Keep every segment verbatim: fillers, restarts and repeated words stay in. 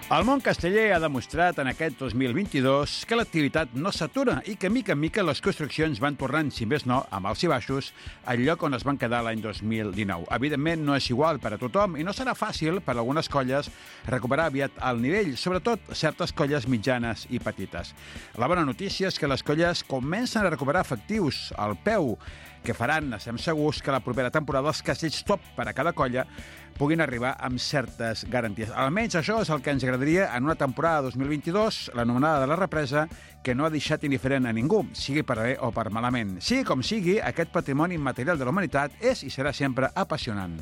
El món casteller ha demostrat en aquest dos mil vint-i-dos que l'activitat no s'atura i que, mica en mica, les construccions van tornant, si més no, amb alts i baixos, al lloc on es van quedar l'any dos mil dinou. Evidentment, no és igual per a tothom i no serà fàcil per a algunes colles recuperar aviat el nivell, sobretot certes colles mitjanes i petites. La bona notícia és que les colles comencen a recuperar efectius al peu, que faran, estem segurs, que la propera temporada els castells top per a cada colla puguin arribar amb certes garanties. Almenys això és el que ens agradaria en una temporada dos mil vint-i-dos, l'anomenada de la represa, que no ha deixat indiferent a ningú, sigui per bé o per malament. Sigui com sigui, aquest patrimoni immaterial de la humanitat és i serà sempre apassionant.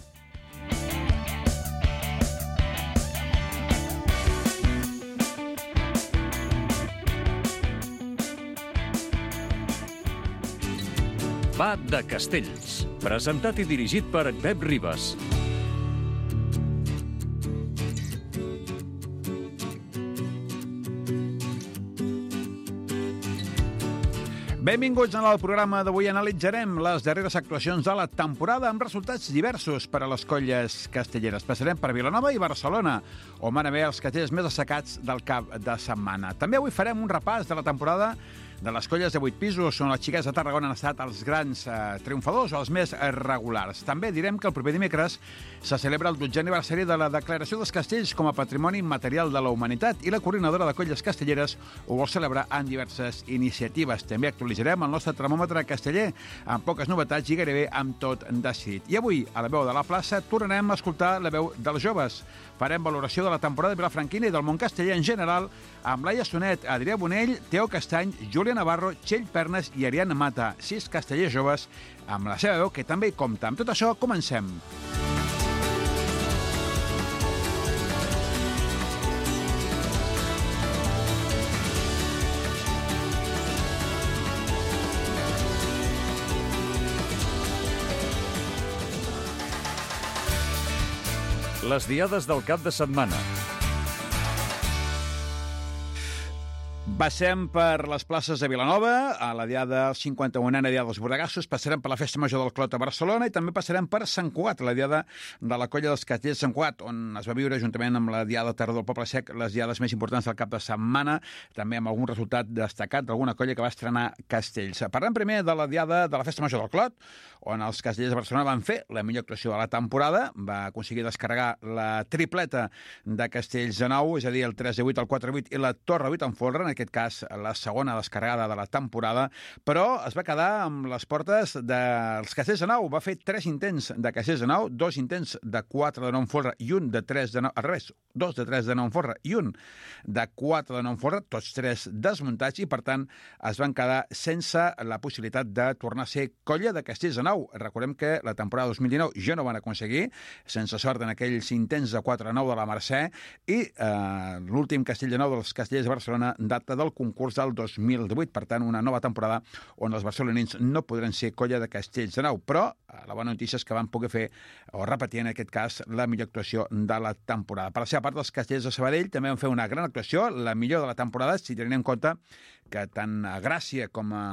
Va de Castells, presentat i dirigit per Pep Ribas. Benvinguts al programa d'avui. Analitzarem les darreres actuacions de la temporada amb resultats diversos per a les colles castelleres. Passarem per Vilanova i Barcelona, on van haver els castells més assecats del cap de setmana. També avui farem un repàs de la temporada de les colles de vuit pisos, on les xiques de Tarragona han estat els grans eh, triomfadors o els més regulars. També direm que el proper dimecres se celebra el dotzè aniversari de la declaració dels castells com a patrimoni immaterial de la humanitat i la coordinadora de colles castelleres ho vol celebrar en diverses iniciatives. També actualitzarem el nostre termòmetre casteller amb poques novetats i gairebé amb tot decidit. I avui, a la veu de la plaça, tornarem a escoltar la veu dels joves. Farem valoració de la temporada de Vilafranquina i del món casteller en general amb Laia Sonet, Adrià Bonell, Teo Castany, Júlia Navarro, Txell Pernes i Ariadna Mata, sis castellers joves amb la seva veu, que també hi compta. Amb tot això, comencem. Les diades del cap de setmana. Passem per les places de Vilanova, a la diada cinquanta-unena diada dels Bordegassos, passarem per la Festa Major del Clot a Barcelona i també passarem per Sant Cugat, la diada de la colla dels castellers de Sant Cugat, on es va viure, juntament amb la diada de Terra del Poble Sec, les diades més importants del cap de setmana, també amb algun resultat destacat d'alguna colla que va estrenar castells. Parlem primer de la diada de la Festa Major del Clot, on els castellers de Barcelona van fer la millor actuació de la temporada, va aconseguir descarregar la tripleta de castells de nou, és a dir, el tres de vuit, el quatre de vuit i la Torre vuit en folre, en aquest cas la segona descarregada de la temporada, però es va quedar amb les portes dels castells de nou. Va fer tres intents de castells de nou, dos intents de quatre de nou en folre i un de tres de nou, al revés, dos de tres de nou en folre i un de quatre de nou en folre, tots tres desmuntats, i per tant es van quedar sense la possibilitat de tornar a ser colla de castells de nou. Recordem que la temporada dos mil dinou ja no van aconseguir, sense sort en aquells intents de quatre de nou de la Mercè, i eh, l'últim castell de nou dels castellers de Barcelona data del concurs del dos mil divuit, per tant una nova temporada on els barcelonins no podran ser colla de castells de nou, però la bona notícia és que van poder fer, o repetir en aquest cas, la millor actuació de la temporada. Per la seva part, els castellers de Sabadell també van fer una gran actuació, la millor de la temporada, si tenim en compte que tant a Gràcia com a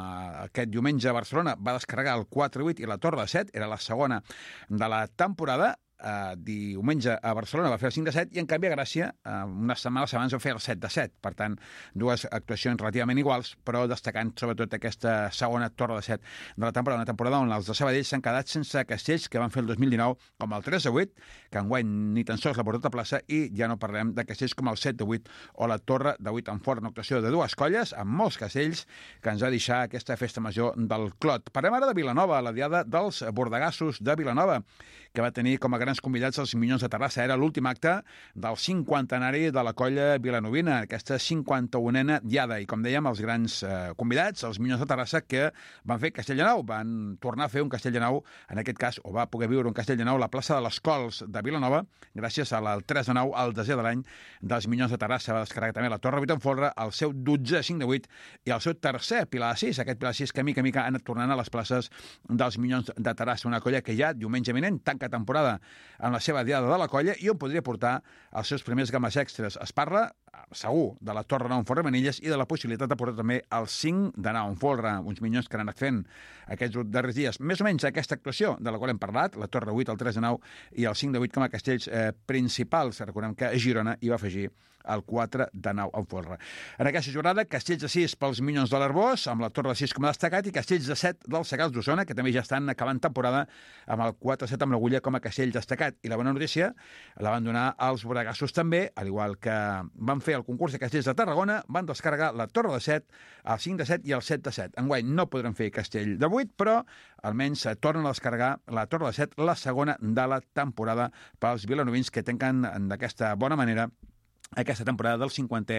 aquest diumenge a Barcelona va descarregar el quatre vuit i la Torre de set, era la segona de la temporada. Uh, diumenge a Barcelona va fer el cinc de set i en canvi a Gràcia uh, unes setmanes abans va fer el set de set, per tant dues actuacions relativament iguals, però destacant sobretot aquesta segona Torre de set de la temporada, una temporada on els de Sabadell s'han quedat sense castells que van fer el dos mil dinou, com el tres de vuit, que enguany ni tan sols l'ha portat a plaça, i ja no parlem de castells com el set de vuit o la Torre de vuit en fort, una actuació de dues colles amb molts castells que ens va deixar aquesta festa major del Clot. Parlem ara de Vilanova, la diada dels Bordegassos de Vilanova, que va tenir com a grans convidats els Minyons de Terrassa. Era l'últim acte del cinquantenari de la colla vilanovina, aquesta cinquanta-unena diada. I com dèiem, els grans eh, convidats, els Minyons de Terrassa, que van fer castell de nou, van tornar a fer un castell de nou, en aquest cas, o va poder viure un castell de nou a la plaça de les Cols de Vilanova, gràcies al tres de nou, al desè de l'any dels Minyons de Terrassa. Va descarregar també la Torre vuit en folre, el seu dotzè cinc de vuit i el seu tercer Pilar de sis, aquest Pilar de sis que mica mica ha anat tornant a les places dels Minyons de Terrassa, una colla que ja diumenge vinent tanca temporada amb la seva diada de la colla i on podria portar els seus primers games extras. Es parla, segur, de la Torre nou en Forremanilles i de la possibilitat de portar també el cinc de nou en Folre, uns minyons que han anat fent aquests darrers dies. Més o menys aquesta actuació de la qual hem parlat, la Torre vuit, el tres de nou i el cinc de vuit com a castells eh, principals. Recordem que a Girona hi va afegir el quatre de nou en Folre. En aquesta jornada, castells de sis pels Minyons de l'Arbós, amb la Torre de sis com a destacat, i castells de set dels Segals d'Osona, que també ja estan acabant temporada amb el quatre set amb l'Agulla com a castell destacat. I la bona notícia la van donar els boregassos també, al igual que van fer el concurs de castells de Tarragona, van descarregar la Torre de set, el cinc de set i el set de set. Enguany no podran fer castell de vuit, però almenys tornen a descarregar la Torre de set, la segona de la temporada pels vilanovins que tanquen d'aquesta bona manera aquesta temporada del cinquantè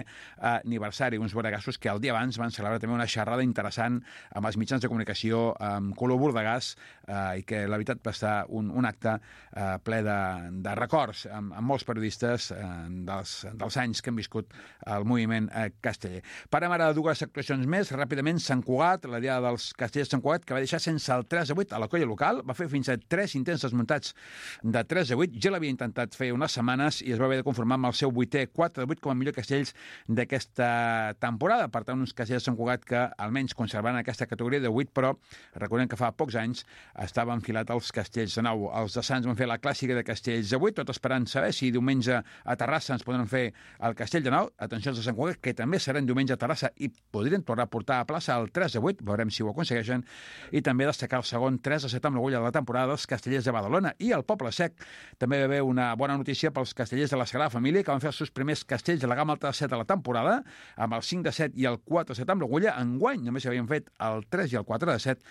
aniversari. Uns boregassos que el dia abans van celebrar també una xerrada interessant amb els mitjans de comunicació amb Color Bordegàs eh, i que la veritat va estar un, un acte eh, ple de, de records amb, amb molts periodistes eh, dels, dels anys que han viscut el moviment eh, casteller. Parem ara de dues actuacions més. Ràpidament, Sant Cugat, la diada dels castellers de Sant Cugat, que va deixar sense el tres a vuit a la colla local, va fer fins a tres intents desmuntats de tres a vuit. Ja l'havia intentat fer unes setmanes i es va haver de conformar amb el seu vuitè quatre de vuit com a millor castells d'aquesta temporada. Per tant, uns castells de Sant Cugat que almenys conservaran aquesta categoria de vuit, però recordem que fa pocs anys estava enfilat als castells de nou. Els de Sants van fer la clàssica de castells de vuit, tot esperant saber si diumenge a Terrassa ens podran fer el castell de nou. Atenció als de Sant Cugat, que també seran diumenge a Terrassa i podrien tornar a portar a plaça el tres de vuit, veurem si ho aconsegueixen, i també destacar el segon tres a set amb l'Agulla de la temporada dels castellers de Badalona. I al Poble Sec també va haver una bona notícia pels castellers de la Sagrada Família, que van fer els seus primers castells de la gamma alta de set a la temporada, amb el cinc de set i el quatre de set amb l'Agulla. Enguany només havien fet el tres i el quatre de set.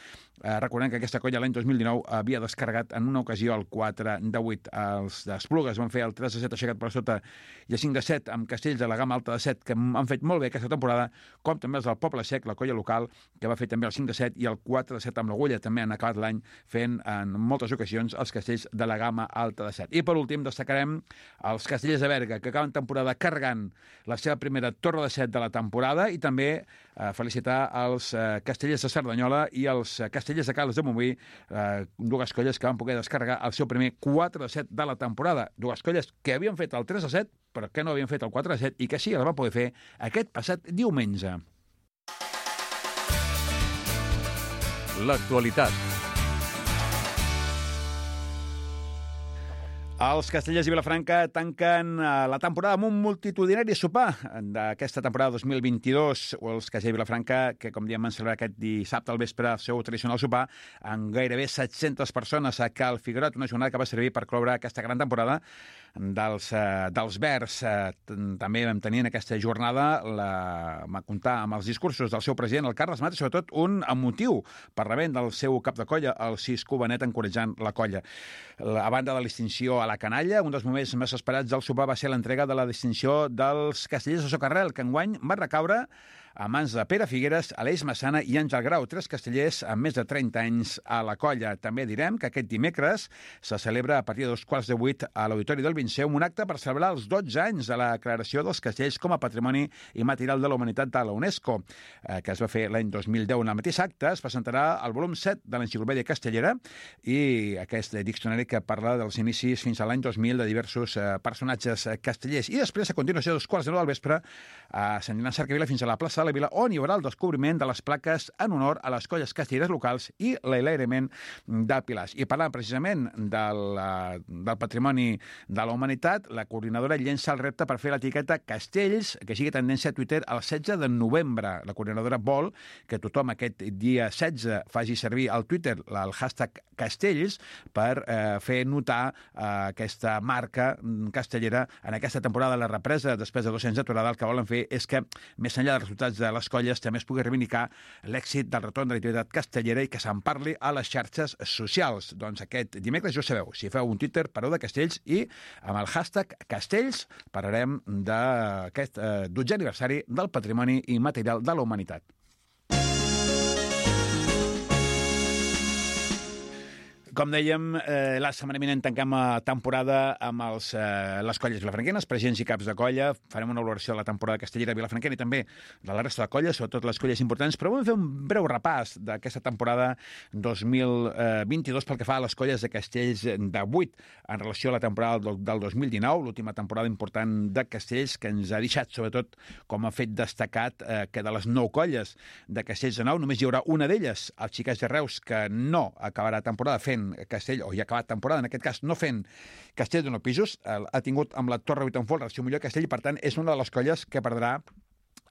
Eh, recordem que aquesta colla l'any dos mil dinou havia descarregat en una ocasió el quatre de vuit. Els d'Esplugues van fer el tres de set aixecat per sota i el cinc de set amb castells de la gamma alta de set, que han fet molt bé aquesta temporada, com també els del Poble Sec, la colla local, que va fer també el cinc de set i el quatre de set amb l'Agulla. També han acabat l'any fent en moltes ocasions els castells de la gamma alta de set. I per últim destacarem els castellers de Berga, que acaben temporada carregant la seva primera torre de set de la temporada, i també eh, felicitar els eh, castellers de Cerdanyola i els eh, castellers de Caldes de Montbui, eh, dues colles que van poder descarregar el seu primer quatre de set de la temporada. Dues colles que havien fet el tres de set, però que no havien fet el quatre de set i que sí, el van poder fer aquest passat diumenge. L'actualitat. Els castellers i Vilafranca tanquen la temporada amb un multitudinari sopar d'aquesta temporada dos mil vint-i-dos. Els castellers i Vilafranca, que com diem van celebrar aquest dissabte al vespre el seu tradicional sopar, amb gairebé set-centes persones a Cal Figuerot, una jornada que va servir per cloure aquesta gran temporada dels, eh, dels Verds. Eh, també vam tenir en aquesta jornada la, va comptar amb els discursos del seu president, el Carles Mat, i sobretot un emotiu parlament del seu cap de colla, el Cisco Benet, encoratjant la colla. A banda de l'extinció a la canalla, un dels moments més esperats del sopar va ser l'entrega de la distinció dels castellers de Socarrel, que enguany va recaure a mans de Pere Figueres, Aleix Massana i Àngel Grau, tres castellers amb més de trenta anys a la colla. També direm que aquest dimecres se celebra a partir de dos quarts de vuit a l'Auditori del Vinceum un acte per celebrar els dotze anys de la declaració dels castells com a Patrimoni Immaterial de la Humanitat de la UNESCO, eh, que es va fer l'any dos mil deu. En el mateix acte es presentarà el volum set de l'Enciclopèdia Castellera i aquest diccionari que parla dels inicis fins a l'any dos mil de diversos eh, personatges castellers. I després, a continuació, a dos quarts de nou del vespre, a Sant Joan Cercavila fins a la plaça de la Vila, on hi haurà el descobriment de les plaques en honor a les colles castelleres locals i l'enlairament de pilars. I parlant precisament del, del patrimoni de la humanitat, la coordinadora llença el repte per fer l'etiqueta Castells, que sigui tendència a Twitter el setze de novembre. La coordinadora vol que tothom aquest dia setze faci servir al Twitter el hashtag Castells per eh, fer notar eh, aquesta marca castellera en aquesta temporada de la represa després de dos anys d'aturada. El que volen fer és que, més enllà dels resultats de les colles, també es pugui reivindicar l'èxit del retorn de l'activitat castellera i que se'n parli a les xarxes socials. Doncs aquest dimecres, ja ho sabeu, si feu un Twitter, pareu de Castells i amb el hashtag Castells parlarem d'aquest eh, dotzè aniversari del Patrimoni Immaterial de la Humanitat. Com dèiem, eh, la setmana vinent tanquem la temporada amb els, eh, les colles vilafranquenes, presidents i caps de colla. Farem una valoració de la temporada castellera vilafranquena i també de la resta de colles, sobretot les colles importants, però vam fer un breu repàs d'aquesta temporada dos mil vint-i-dos pel que fa a les colles de Castells de vuit en relació a la temporada del, del dos mil dinou, l'última temporada important de Castells, que ens ha deixat, sobretot, com a fet destacat, eh, que de les nou colles de Castells de nou només hi haurà una d'elles, els Xiquets de Reus, que no acabarà temporada fent Castell, o ja ha acabat temporada, en aquest cas no fent Castell de nou pisos, ha tingut amb la Torre Vuitantfold el seu millor castell i per tant és una de les colles que perdrà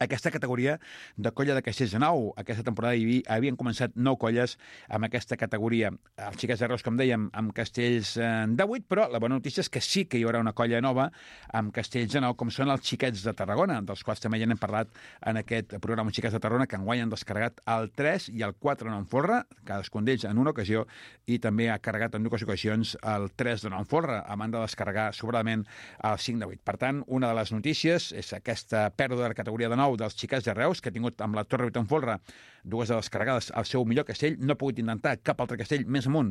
aquesta categoria de colla de Castells de nou. Aquesta temporada hi havia, havien començat nou colles amb aquesta categoria. Els Xiquets de Reus, com dèiem, amb castells de vuit, però la bona notícia és que sí que hi haurà una colla nova amb castells de nou, com són els Xiquets de Tarragona, dels quals també ja n'hem parlat en aquest programa Xiquets de Tarragona, que enguany han descarregat el tres i el quatre de nou en folre, cadascun d'ells en una ocasió, i també ha carregat en dues ocasions el tres de nou en folre, a banda de descarregar sobradament el cinc de vuit. Per tant, una de les notícies és aquesta pèrdua de la categoria de nou dels Xiquets de Reus, que ha tingut amb la Torre Vuitantfold dues de descarregades al seu millor castell, no ha pogut intentar cap altre castell més amunt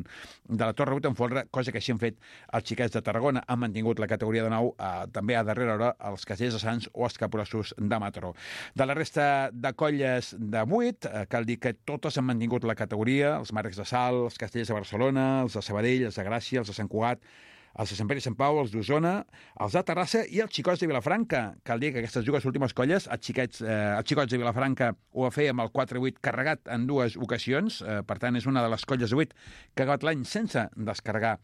de la Torre Vuitantfold, cosa que així han fet els Xiquets de Tarragona, han mantingut la categoria de nou, eh, també a darrera hora els castells de Sants o els Capgrossos de Mataró. De la resta de colles de vuit, eh, cal dir que totes han mantingut la categoria, els Marcs de Salt, els castells de Barcelona, els de Sabadell, els de Gràcia, els de Sant Cugat, els de Sant Pere i Sant Pau, els d'Osona, els de Terrassa i els Xicots de Vilafranca. Cal dir que aquestes dues últimes colles, els, xiquets, eh, els Xicots de Vilafranca ho va fer amb el quatre vuit carregat en dues ocasions, eh, per tant és una de les colles de vuit que ha acabat l'any sense descarregar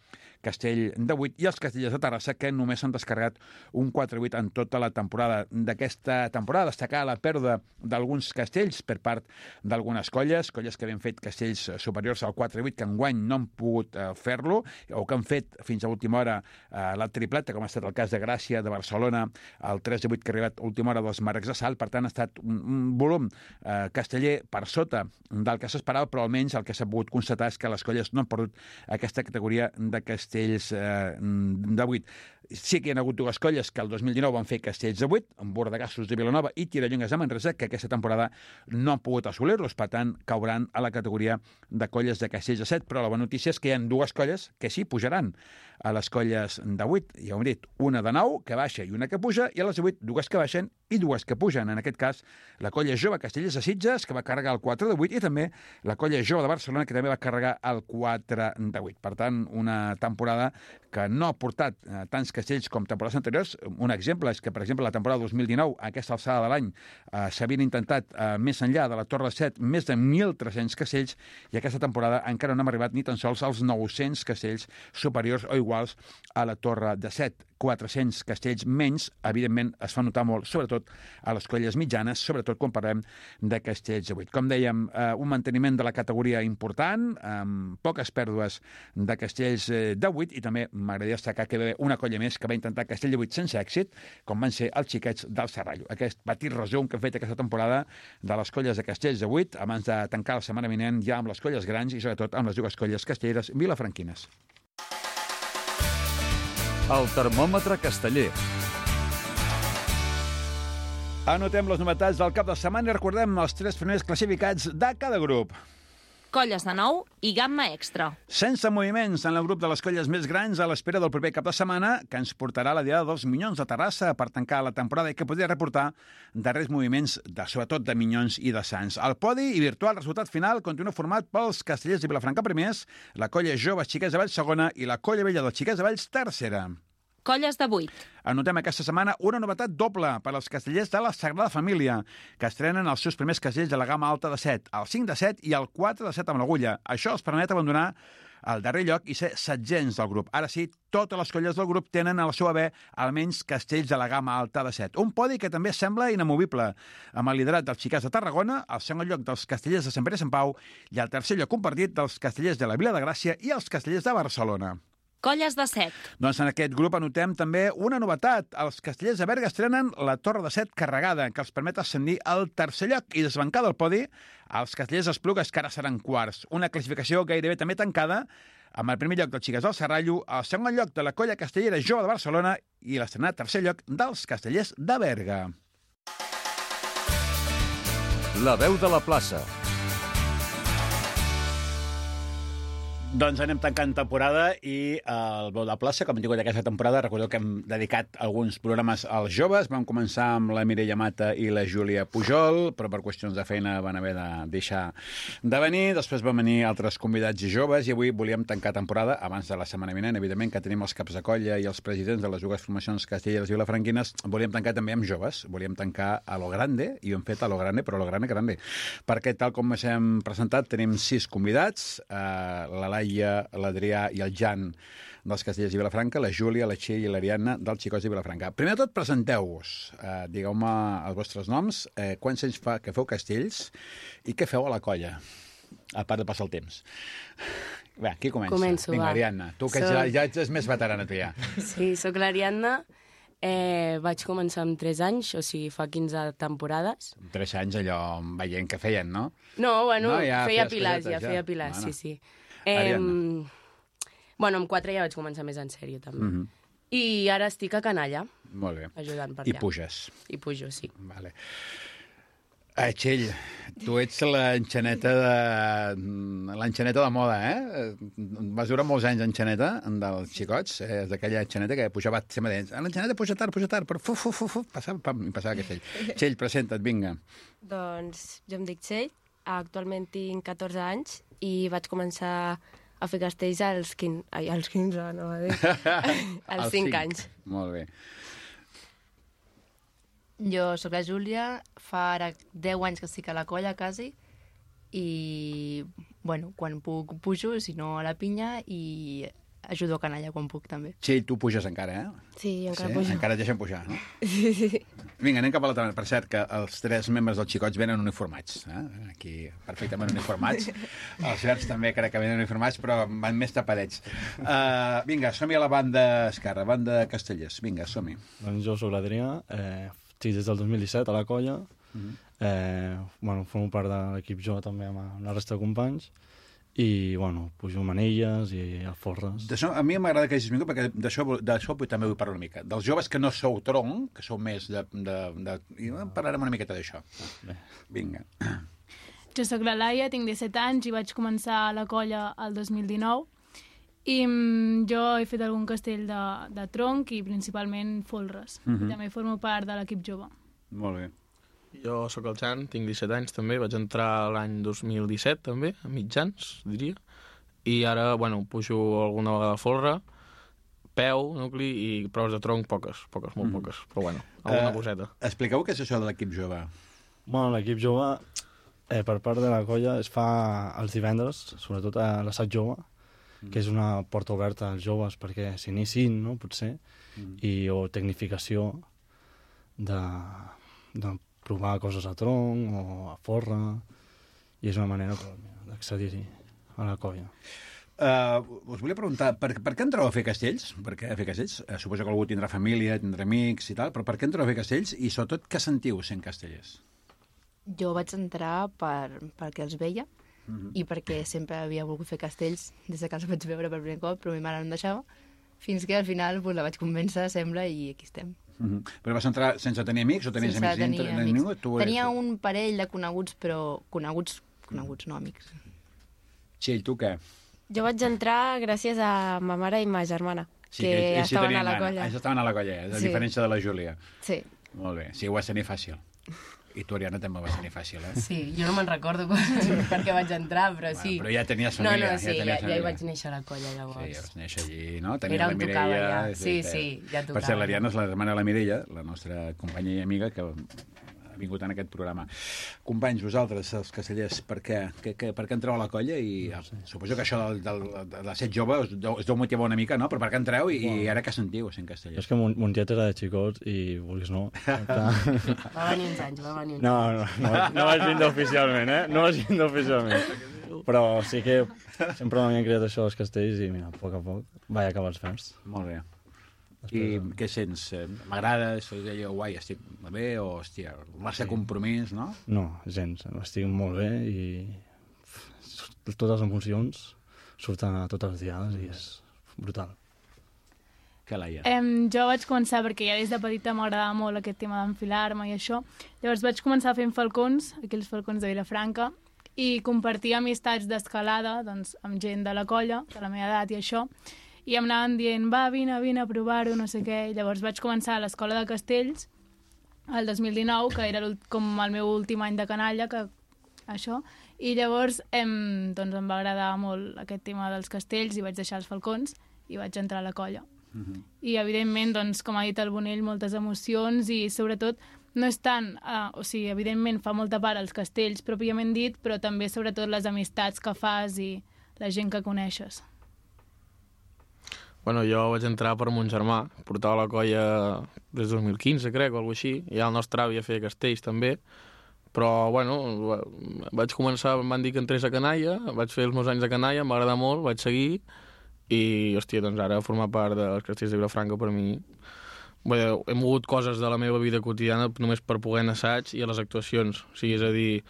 castell de vuit, i els castellers de Terrassa que només han descarregat un quatre vuit en tota la temporada. D'aquesta temporada destacar la pèrdua d'alguns castells per part d'algunes colles, colles que havien fet castells superiors al quatre vuit que enguany no han pogut eh, fer-lo, o que han fet fins a última hora eh, la tripleta, com ha estat el cas de Gràcia, de Barcelona, el tres de vuit que ha arribat a última hora dels Marcs de Salt. Per tant, ha estat un, un volum eh, casteller per sota del que s'esperava, però almenys el que s'ha pogut constatar és que les colles no han perdut aquesta categoria de castells eh, de vuit. Sí que hi ha hagut dues colles que el dos mil dinou van fer castells de vuit, amb Bordegassos de Vilanova i Tirallongues de Manresa, que aquesta temporada no han pogut assolir-los, per tant, cauran a la categoria de colles de castells de set, però la bona notícia és que hi ha dues colles que sí pujaran a les colles de vuit. Ja ho hem dit, una de nou que baixa i una que puja, i a les de vuit dues que baixen i dues que pugen. En aquest cas, la colla jove Castellers de Sitges, que va carregar el quatre de vuit, i també la colla jove de Barcelona, que també va carregar el quatre de vuit. Per tant, una temporada que no ha portat eh, tants castells com temporades anteriors. Un exemple és que, per exemple, la temporada dos mil dinou, a aquesta alçada de l'any, eh, s'havien intentat, eh, més enllà de la Torre de set, més de mil tres-cents castells, i aquesta temporada encara no hem arribat ni tan sols als nou-cents castells superiors o iguals a la Torre de set. quatre-cents castells menys, evidentment, es fa notar molt, sobretot a les colles mitjanes, sobretot quan parlem de castells de vuit. Com dèiem, eh, un manteniment de la categoria important, amb poques pèrdues de castells de vuit, i també m'agradaria destacar que hi va haver una colla més que va intentar castell de vuit sense èxit, com van ser els Xiquets del Serrallo. Aquest petit resum que hem fet aquesta temporada de les colles de castells de vuit, abans de tancar la setmana vinent ja amb les colles grans i sobretot amb les dues colles castelleres vilafranquines. El termòmetre casteller. Anotem les novetats del cap de setmana i recordem els tres primers classificats de cada grup. Colles de nou i gamma extra. Sense moviments en el grup de les colles més grans a l'espera del proper cap de setmana, que ens portarà la diada dels Minyons de Terrassa per tancar la temporada i que podria reportar darrers moviments, de, sobretot de Minyons i de Sants. El podi i virtual resultat final continua format pels castellers de Vilafranca primers, la colla jove Xiquets de Valls segona i la colla vella dels Xiquets de Valls tercera. Colles de vuit. Anotem aquesta setmana una novetat doble per als castellers de la Sagrada Família, que estrenen els seus primers castells de la gamma alta de set, el cinc de set i el quatre de set amb l'agulla. Això els permet abandonar el darrer lloc i ser setzents del grup. Ara sí, totes les colles del grup tenen a la seva haver almenys castells de la gamma alta de set. Un podi que també sembla inamovible, amb el liderat dels Xiquets de Tarragona, el segon lloc dels castellers de Sant Pere i Sant Pau i el tercer lloc compartit dels castellers de la Vila de Gràcia i els castellers de Barcelona. Colles de set. Doncs en aquest grup anotem també una novetat. Els castellers de Berga estrenen la Torre de set carregada, que els permet ascendir al tercer lloc i desbancar del podi els castellers d'Esplugues, que ara seran quarts. Una classificació gairebé també tancada, amb el primer lloc dels Xiquets del Serrallo, el segon lloc de la colla castellera jove de Barcelona i l'estrenat tercer lloc dels castellers de Berga. La veu de la plaça. Doncs anem tancant temporada i el Veu de Plaça, com hem tingut aquesta temporada, recordeu que hem dedicat alguns programes als joves. Vam començar amb la Mireia Mata i la Júlia Pujol, però per qüestions de feina van haver de deixar de venir. Després van venir altres convidats i joves i avui volíem tancar temporada, abans de la setmana vinent, evidentment, que tenim els caps de colla i els presidents de les dues formacions castelleres i vilafranquines. Volíem tancar també amb joves. Volíem tancar a lo grande, i ho hem fet a lo grande, però a lo grande, grande. Perquè, tal com ens hem presentat, tenim sis convidats, eh, la Laia, l'Adrià i el Jan dels Castellers i Vilafranca, la Júlia, la Txell i l'Ariadna dels Xicots de Vilafranca. Primer de tot, presenteu-vos. Eh, digueu-me els vostres noms, eh, quants anys fa que feu castells i què feu a la colla, a part de passar el temps. Bé, qui comença? Començo, Vinga, va. Ariadna, tu que Soc- ja, ja ets més veterana, tu ja. Sí, sóc l'Ariadna. Eh, vaig començar amb tres anys, o sigui, fa quinze temporades. Tres anys allò veient què feien, no? No, bueno, No, ja feia feies pilars, cosetes, ja, ja. feia pilars, Bueno. sí, sí. Eh, Ariadna. bueno, amb quatre ja vaig començar més en sèrio, també. Mhm. I ara estic a Canalla, Molt bé. ajudant per I allà. puges. I pujo, sí. Vale. Eh, Txell, tu ets l'enxaneta de... l'enxaneta de moda, eh? Vas durar molts anys enxaneta dels xicots, eh? És d'aquella enxaneta que pujava sempre dents. L'enxaneta puja tard, puja tard, però fu, fu, fu, fu, passava, pam, i passava aquest Txell. Txell, presenta't, vinga. Doncs jo em dic Txell, actualment tinc catorze anys i vaig començar a fer castells als quinze, ai, als quinze, no va dir, als Els cinc cinc. anys. Molt bé. Jo sóc la Júlia, fa ara deu anys que estic a la colla, quasi, i, bueno, quan puc pujo, si no a la pinya, i ajudo a Canalla quan puc, també. Txell, tu puges encara, eh? Sí, encara sí? pujo. Encara et deixen pujar, no? Sí, sí. Vinga, anem cap a l'altra banda. Per cert, que els tres membres dels xicots venen uniformats. Eh? Aquí, perfectament uniformats. Els verds també crec que venen uniformats, però van més tapadets. Uh, vinga, som-hi a la banda esquerra, banda Castellers. Vinga, som-hi. Doncs jo sóc l'Adrià, eh, estic des del dos mil disset a la colla, Mhm. eh, bueno, formo part de l'equip jo també amb la resta de companys, i bueno, pujo manilles i alforres. D'això, a mi m'agrada que hagis vingut, perquè d'això d'això també vull parlar una mica. Dels joves que no sou tronc, que sou més de... de, de i parlarem una miqueta d'això. Bé. Vinga. Jo sóc la Laia, tinc disset anys i vaig començar a la colla el dos mil dinou. I mm, jo he fet algun castell de, de tronc i principalment folres. Mhm. I també formo part de l'equip jove. Molt bé. Jo sóc el Jan, tinc disset anys també, vaig entrar l'any dos mil disset també, a mitjans, diria, i ara, bueno, pujo alguna vegada a folre, peu, nucli i proves de tronc poques, poques, molt Mhm. poques, però bueno, alguna Eh, coseta. Expliqueu què és això de l'equip jove. Bueno, l'equip jove, eh, per part de la colla, es fa els divendres, sobretot a l'assaig jove, que és una porta oberta als joves perquè s'iniciïn, no?, potser, Mm. i o tecnificació de, de provar coses a tronc o a forra, i és una manera d'accedir-hi a la colla. Uh, us volia preguntar, per, per què entreu a fer castells? Per què a fer castells? Uh, suposo que algú tindrà família, tindrà amics i tal, però per què entreu a fer castells? I sobretot, què sentiu sent castellers? Jo vaig entrar per, perquè els veia, Mhm. i perquè sempre havia volgut fer castells des de que els vaig veure per primer cop, però mi mare no em deixava, fins que al final pues, la vaig convèncer, sembla, i aquí estem. Mm -hmm. Però vas entrar sense tenir amics o tenies Sense amics tenir dintre? amics. Ningú? Tu Tenia eres... un parell de coneguts, però coneguts, coneguts, no amics. Txell, tu què? Jo vaig entrar gràcies a ma mare i ma germana, Sí, que ells sí estaven tenien a la gana. colla. Ells estaven a la colla, a Sí. diferència de la Júlia. Sí. Molt bé. Sí, ho vas tenir fàcil. I tu, Ariadna, també ho vas tenir fàcil, eh? Sí, jo no me'n recordo per què vaig entrar, però sí. Però ja tenies No, família. no, sí, ja, ja, tenies ja hi família. vaig néixer a la colla, llavors. Sí, ja vas néixer allí, no? Tenies Era la on tocava, Mireia. ja. Sí, sí, ja Per tocava. cert, l'Ariadna és la germana de la Mireia, la nostra companya i amiga, que ha vingut en aquest programa. Companys, vosaltres, els castellers, per què, que, que, per què entreu a la colla? I no sé. Suposo que això del, del, de, de ser jove us deu, us deu motivar una mica, no? Però per què entreu i, i ara què sentiu sent castellers? És que mon, mon tiet era de xicots i, vulguis no... Va venir uns anys, va venir uns No, no, no, vaig- no vaig vindre oficialment, eh? No vaig vindre oficialment. Però sí que sempre m'havien creat això dels castells i, mira, a poc a poc vaig acabar els fems. Molt bé. I què sents? Eh, M'agrada? Soy allò guai, estic bé? O, hòstia, massa Sí. compromís, no? No, gens. Estic molt bé i f- totes les emocions surten a totes les diades i és brutal. Que Laia. Em, jo vaig començar perquè ja des de petita m'agradava molt aquest tema d'enfilar-me i això. Llavors vaig començar fent falcons, aquells falcons de Vilafranca, i compartir amistats d'escalada doncs, amb gent de la colla, de la meva edat i això, i em anaven dient, va, vine, vine a provar-ho, no sé què. I llavors vaig començar a l'Escola de Castells el dos mil dinou, que era com el meu últim any de canalla, que això, i llavors em, doncs em va agradar molt aquest tema dels castells i vaig deixar els falcons i vaig entrar a la colla. Uh-huh. I, evidentment, doncs, com ha dit el Bonell, moltes emocions i, sobretot, no és tant... Uh, o sigui, evidentment, fa molta part els castells, pròpiament dit, però també, sobretot, les amistats que fas i la gent que coneixes. Bueno, jo vaig entrar per mon germà, portava la colla des del dos mil quinze, crec, o alguna cosa així. Ja el nostre avi a fer castells, també. Però, bueno, vaig començar, em van dir que entrés a canalla, vaig fer els meus anys de canalla, em va agradar molt, vaig seguir, i, hòstia, doncs ara formar part dels castells de Vilafranca per mi... Bé, he mogut coses de la meva vida quotidiana només per poder anar a assaig i a les actuacions. O sigui, és a dir,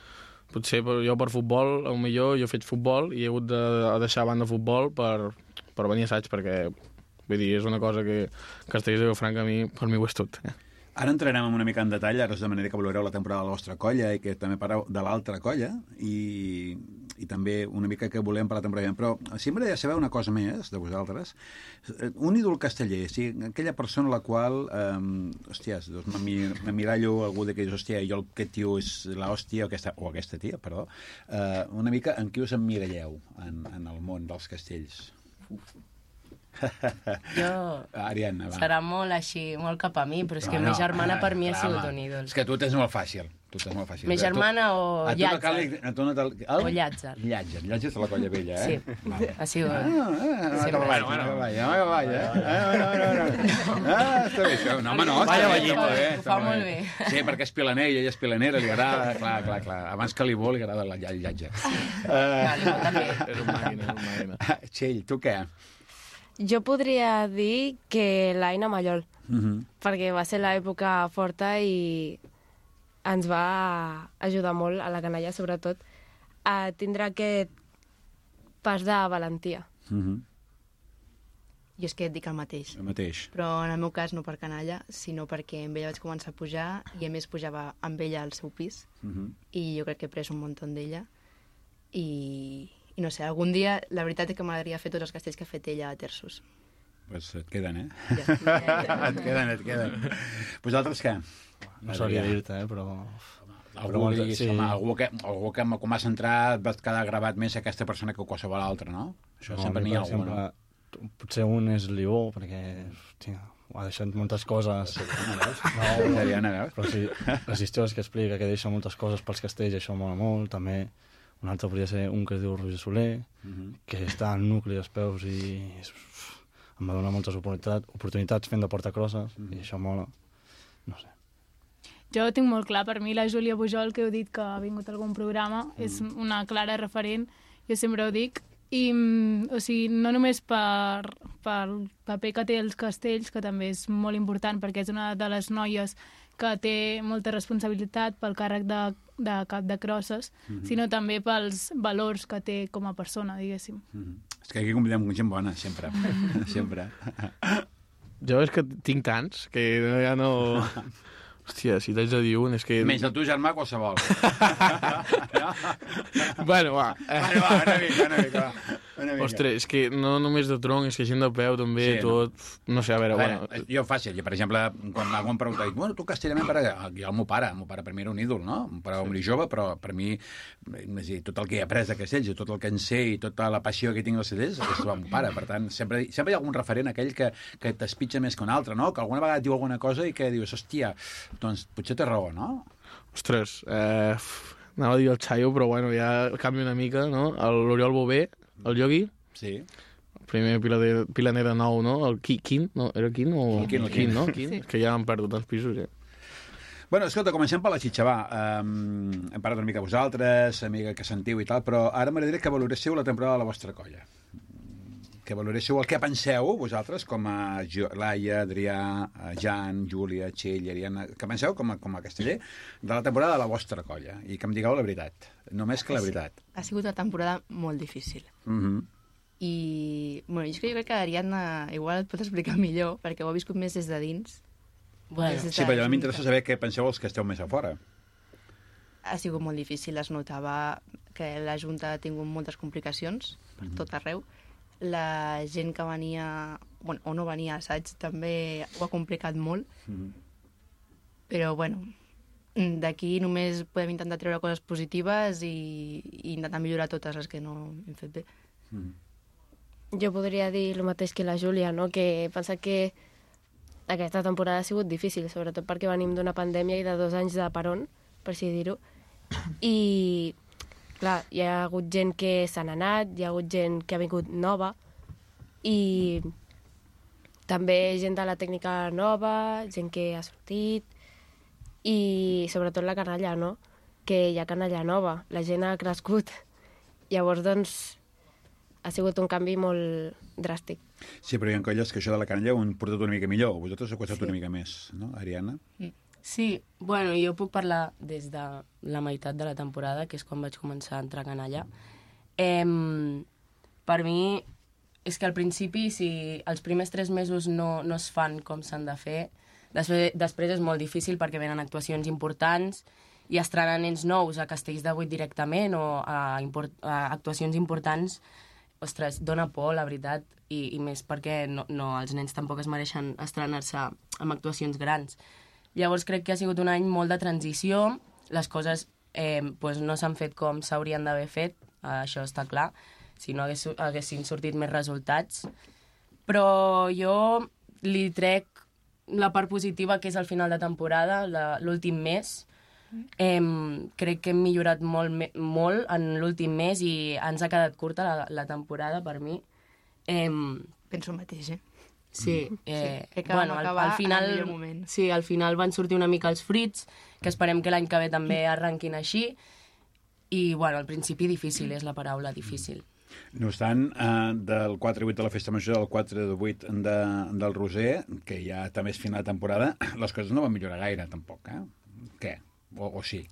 potser jo per futbol, potser jo he fet futbol i he hagut de deixar a banda futbol per, per venir a assaig, perquè, vull dir, és una cosa que Castells de Vilafranca a mi, per mi ho és tot. Ara entrarem una mica en detall, ara us demanaré que valoreu la temporada de la vostra colla i que també parleu de l'altra colla i, i també una mica que volem per la temporada. Però sí m'agradaria saber una cosa més de vosaltres. Un ídol casteller, o sigui, aquella persona a la qual, eh, hòsties, doncs m'emmirallo algú de que dius, hòstia, jo aquest tio és l'hòstia, o aquesta, o aquesta tia, perdó, eh, una mica en qui us emmiralleu en, en el món dels castells? Uf. Jo... Ariadna, va. Serà molt així, molt cap a mi, però és que no, mi germana no, per mi ha sigut un ídol. És que tu tens molt fàcil. Tu tens molt fàcil. Mi germana o Llàtzer. O Llàtzer. Llàtzer. Llàtzer és la colla vella, eh? Sí, ha sigut... Ah, ah, que va, bueno, que va, que va, eh? Ah, està bé això. No, home, no. Vaya ballito, eh? Ho fa molt bé. Sí, perquè és pilaner i ella és pilanera, li agrada, clar, clar, clar. Abans que li vol, li agrada el Llàtzer. És un màquina, és un màquina. Txell, tu què? Jo podria dir que l'Aina Mallol, Uh-huh. perquè va ser l'època forta i ens va ajudar molt a la canalla, sobretot, a tindre aquest pas de valentia. Uh-huh. Jo és que et dic el mateix. El mateix. Però en el meu cas no per canalla, sinó perquè amb ella vaig començar a pujar i a més pujava amb ella al seu pis Uh-huh. i jo crec que he pres un muntó d'ella i, i no sé, algun dia la veritat és que m'agradaria fer tots els castells que ha fet ella a terços. Pues et queden, eh? Ja, ja, ja. et queden, et queden. Vosaltres què? No sabria dir-te, eh, però... Algú, però diguis, sí. home, algú que, algú que com has entrat vas quedar gravat més aquesta persona que qualsevol altra, no? Això No, sempre a mi, n'hi ha per algú, no? exemple, potser un és Lió, perquè hòstia, ha deixat moltes coses. No, Ariadna, veus? Però sí, les històries que explica, que deixa moltes coses pels castells, això mola molt, també. Un altre podria ser un que es diu Roger Soler, Uh-huh. que està al nucli dels peus i és, em va donar moltes oportunitats, oportunitats fent de portacrosses, Mhm. i això mola. No sé. Jo ho tinc molt clar, per mi la Júlia Pujol, que heu dit que ha vingut a algun programa, mm. és una clara referent, jo sempre ho dic, i o sigui, no només per, pel paper que té els castells, que també és molt important, perquè és una de les noies que té molta responsabilitat pel càrrec de, de cap de crosses, mm-hmm. sinó també pels valors que té com a persona, diguéssim. Mm-hmm. És que aquí convidem gent bona, sempre. sempre. Jo és que tinc tants que ja no... Hòstia, si t'haig de dir un, és que... Menys el teu germà, qualsevol. no? Bueno, va. Bueno, va, una mica, una mica, va. Una mica. Ostres, és que no només de tronc, és que gent de peu també, Sí, tot... No? no sé, a veure, A veure, bueno... jo fàcil, jo, per exemple, quan algú em pregunta, dic, bueno, tu castellament, per... jo el meu pare, el meu pare per mi era un ídol, no? Un pare sí. jove, però per mi, és dir, tot el que he après de castells, i tot el que en sé, i tota la passió que tinc als castells, és el meu pare. Per tant, sempre, sempre hi ha algun referent, aquell que, que t'espitja més que un altre, no? Que alguna vegada et diu alguna cosa i que dius, hòstia, doncs potser té raó, no? Ostres, eh, anava a dir el Chayo, però bueno, ja canvio una mica, no? L'Oriol Bové, el Yogi, Sí. el primer pilaner, pilaner de nou, no? El Qui- Quin, no? Era Quin o... El Quin, el Quin, Quin. no? Quin? Sí. És que ja han perdut tants pisos, ja. Bueno, escolta, comencem per la xitxa, va. Um, hem parlat una mica de vosaltres, amiga que sentiu i tal, però ara m'agradaria que valoréssiu la temporada de la vostra colla. Que valoréssiu el que penseu, vosaltres, com a Jo- Laia, Adrià, Jan, Júlia, Txell, Ariadna, que penseu com a, com a casteller de la temporada de la vostra colla, i que em digueu la veritat, només que la veritat. Ha sigut una temporada molt difícil. Mhm. I, bueno, és que jo crec que Ariadna igual et pot explicar millor, perquè ho ha viscut més des de dins. Bueno, Des de- Sí, però a mi m'interessa saber què penseu els que esteu més a fora. ha sigut molt difícil. Es notava que la Junta ha tingut moltes complicacions per tot arreu. La gent que venia, bueno, o no venia a assaig també ho ha complicat molt. Mm. Però, bueno, d'aquí només podem intentar treure coses positives i, i intentar millorar totes les que no hem fet bé. Mm. Jo podria dir el mateix que la Júlia, no? Que pensa que aquesta temporada ha sigut difícil, sobretot perquè venim d'una pandèmia i de dos anys de peron, per així dir-ho. I, clar, hi ha hagut gent que s'han anat, hi ha hagut gent que ha vingut nova, i també gent de la tècnica nova, gent que ha sortit, i sobretot la canalla, no? Que hi ha canalla nova, la gent ha crescut. Llavors, doncs, ha sigut un canvi molt dràstic. Sí, però hi ha colles que això de la canalla ho han portat una mica millor. Vosaltres ho ha costat sí. una mica més, no, Ariadna? Sí, bueno, jo puc parlar des de la meitat de la temporada, que és quan vaig començar a entrar a canalla. Eh, per mi, és que al principi, si els primers tres mesos no, no es fan com s'han de fer, després, després és molt difícil perquè venen actuacions importants i estrenar nens nous a Castells de Vuit directament o a, import, a actuacions importants, ostres, dona por, la veritat, i, i més perquè no, no, els nens tampoc es mereixen estrenar-se amb actuacions grans. Llavors crec que ha sigut un any molt de transició, les coses eh, pues no s'han fet com s'haurien d'haver fet, eh, això està clar, si no hagués, haguessin sortit més resultats, però jo li trec la part positiva que és el final de temporada, l'últim mes. Eh, crec que hem millorat molt, molt en l'últim mes i ens ha quedat curta la, la temporada per mi. Eh, Penso el mateix, eh? Sí, eh, sí, que bueno, al, al final, en el millor moment. Sí, al final van sortir una mica els fruits, que esperem que l'any que ve també arrenquin així, i bueno, al principi difícil és la paraula, difícil. No obstant, eh, del quatre de vuit de la Festa Major, del quatre de vuit de, del Roser, que ja també és final de temporada, les coses no van millorar gaire, tampoc, eh? Què? O, o sí?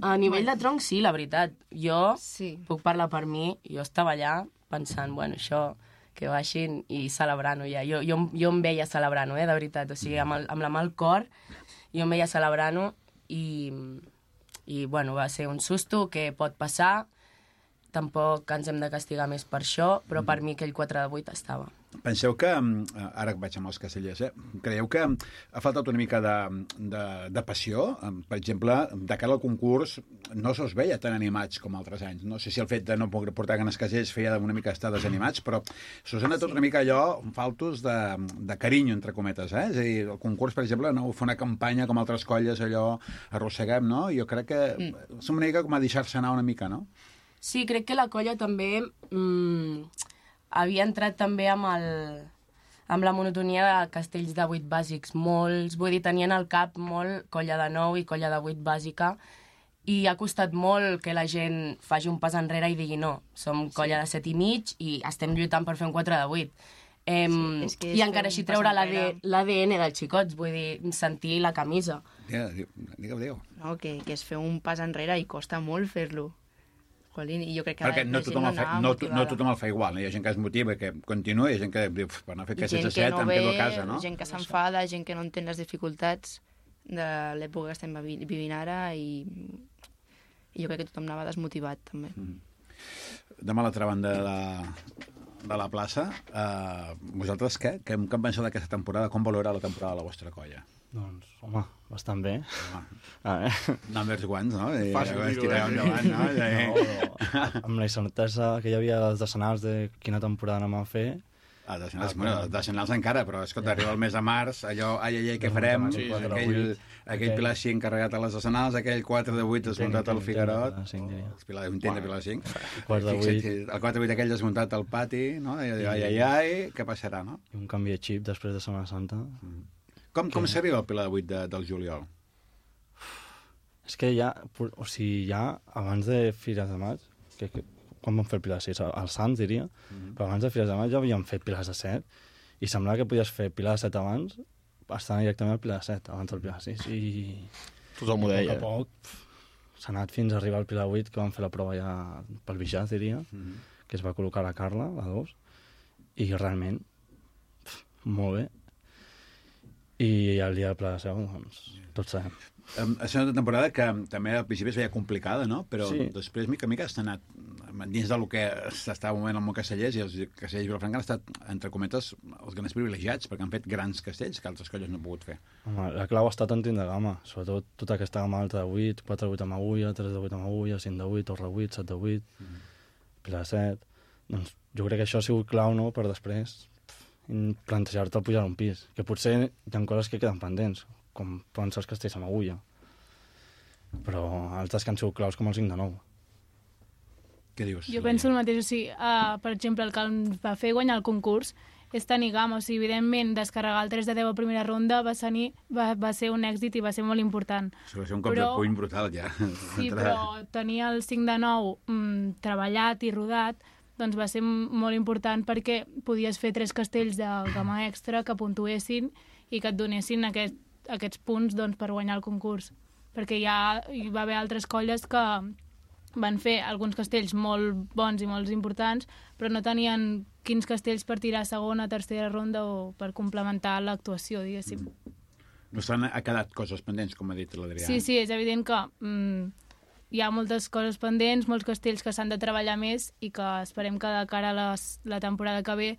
A nivell de tronc, sí, la veritat. Jo sí. puc parlar per mi, jo estava allà pensant, bueno, això, que baixin i celebrant-ho ja. Jo, jo, jo em veia celebrant-ho, eh, de veritat. O sigui, amb, el, amb la mà al cor, jo em veia celebrant-ho i, i, bueno, va ser un susto que pot passar. Tampoc ens hem de castigar més per això, però per mi aquell quatre de vuit estava. Penseu que, ara vaig amb els castellers, eh? Creieu que ha faltat una mica de, de, de passió? Per exemple, de cara al concurs no se us veia tan animats com altres anys. No sé si el fet de no poder portar ganes castellers feia una mica estar desanimats, però se us ha anat sí. una mica allò faltos de, de carinyo, entre cometes, eh? És a dir, el concurs, per exemple, no fer una campanya com altres colles, allò arrosseguem, no? Jo crec que mm. és una mica com a deixar-se anar una mica, no? Sí, crec que la colla també mmm, havia entrat també amb, el, amb la monotonia de castells de vuit bàsics. Molts, vull dir, tenien al cap molt colla de nou i colla de vuit bàsica i ha costat molt que la gent faci un pas enrere i digui no, som colla sí. de set i mig i estem lluitant per fer un quatre de vuit. Eh, sí, és que és I encara així treure l'A D N dels xicots, vull dir, sentir la camisa. Digue'u, digue'u, digue'u. No, que, que és fer un pas enrere i costa molt fer-lo. Jolín, i jo crec que perquè no tothom, no, fa, no, no tothom el fa igual, no? Hi ha gent que es motiva, que continua, hi ha gent que diu, per anar a fer aquest set a set, em quedo a casa, no? Gent que s'enfada, gent que no entén les dificultats de l'època que estem vivint ara i, i jo crec que tothom anava desmotivat, també. Mm. Demà a l'altra banda de la, de la plaça, eh, vosaltres què? Què en penseu d'aquesta temporada? Com valorarà la temporada de la vostra colla? Doncs, home, bastant bé. Home. A veure... Numbers guants, no? I Fàcil dir-ho, eh? endavant, no? no amb la incertesa que hi havia dels decennals de quina temporada anem a fer... Ah, decennals, bueno, decennals encara, però escolta, arriba el mes de març, allò, ai, ai, ai, què farem? Sí, aquell, aquell Pilar cinc encarregat a les decennals, aquell quatre de vuit desmuntat al Figarot, un tent de Pilar cinc, el quatre de vuit aquell desmuntat al pati, no? Ai, ai, ai, què passarà, no? I un canvi de xip després de Setmana Santa... Com, com s'arriba al Pilar de vuit de, del juliol? És que ja, o sigui, ja abans de Fires de Maig, que, que, quan vam fer el Pilar de sis? Als Sants, diria, mm-hmm. però abans de Fires de Maig ja havíem fet Pilars de set, i semblava que podies fer Pilar de set abans, estant directament al Pilar de set, abans del Pilar de sis, i... Tothom ho deia. A poc a poc s'ha anat fins a arribar al Pilar de vuit, que vam fer la prova ja pel Bijàs, diria, mm-hmm. que es va col·locar la Carla, la dos, i realment, pf, molt bé. I el dia de Pla de Seu, doncs, tots sabem. Um, ha estat una temporada que també al principi es veia complicada, no? Però Sí. després, mica a mica, s'ha anat dins del que s'estava movent el món castellers, i els castellers Vilafranca han estat, entre cometes, els grans privilegiats, perquè han fet grans castells que altres colles no han pogut fer. Home, la clau ha estat en tindre gamma, sobretot tota aquesta gamma alta de vuit, quatre de vuit amb agulla, tres de vuit amb agulla, cinc de vuit, torre vuit, set de vuit, mm. pila de set... Doncs jo crec que això ha sigut clau, no?, per després pff, plantejar-te el pujar un pis, que potser hi ha coses que queden pendents, com poden ser els castells amb agulla, però altres que han sigut claus com el cinc de nou. Què dius? Jo penso el mateix, o sigui, uh, per exemple, el que ens va fer guanyar el concurs és tenir gamma, o sigui, evidentment, descarregar el tres de deu a primera ronda va, ser, va, va ser un èxit i va ser molt important. Això va ser un cop però, de puny brutal, ja. Sí, però tenir el cinc de nou mm, treballat i rodat doncs va ser molt important perquè podies fer tres castells de gamma extra que puntuessin i que et donessin aquest, aquests punts doncs, per guanyar el concurs. Perquè ja hi va haver altres colles que van fer alguns castells molt bons i molt importants, però no tenien quins castells per tirar a segona, tercera ronda o per complementar l'actuació, diguéssim. No s'han ha quedat coses pendents, com ha dit l'Adrià. Sí, sí, és evident que mm, hi ha moltes coses pendents, molts castells que s'han de treballar més i que esperem que de cara a les, la temporada que ve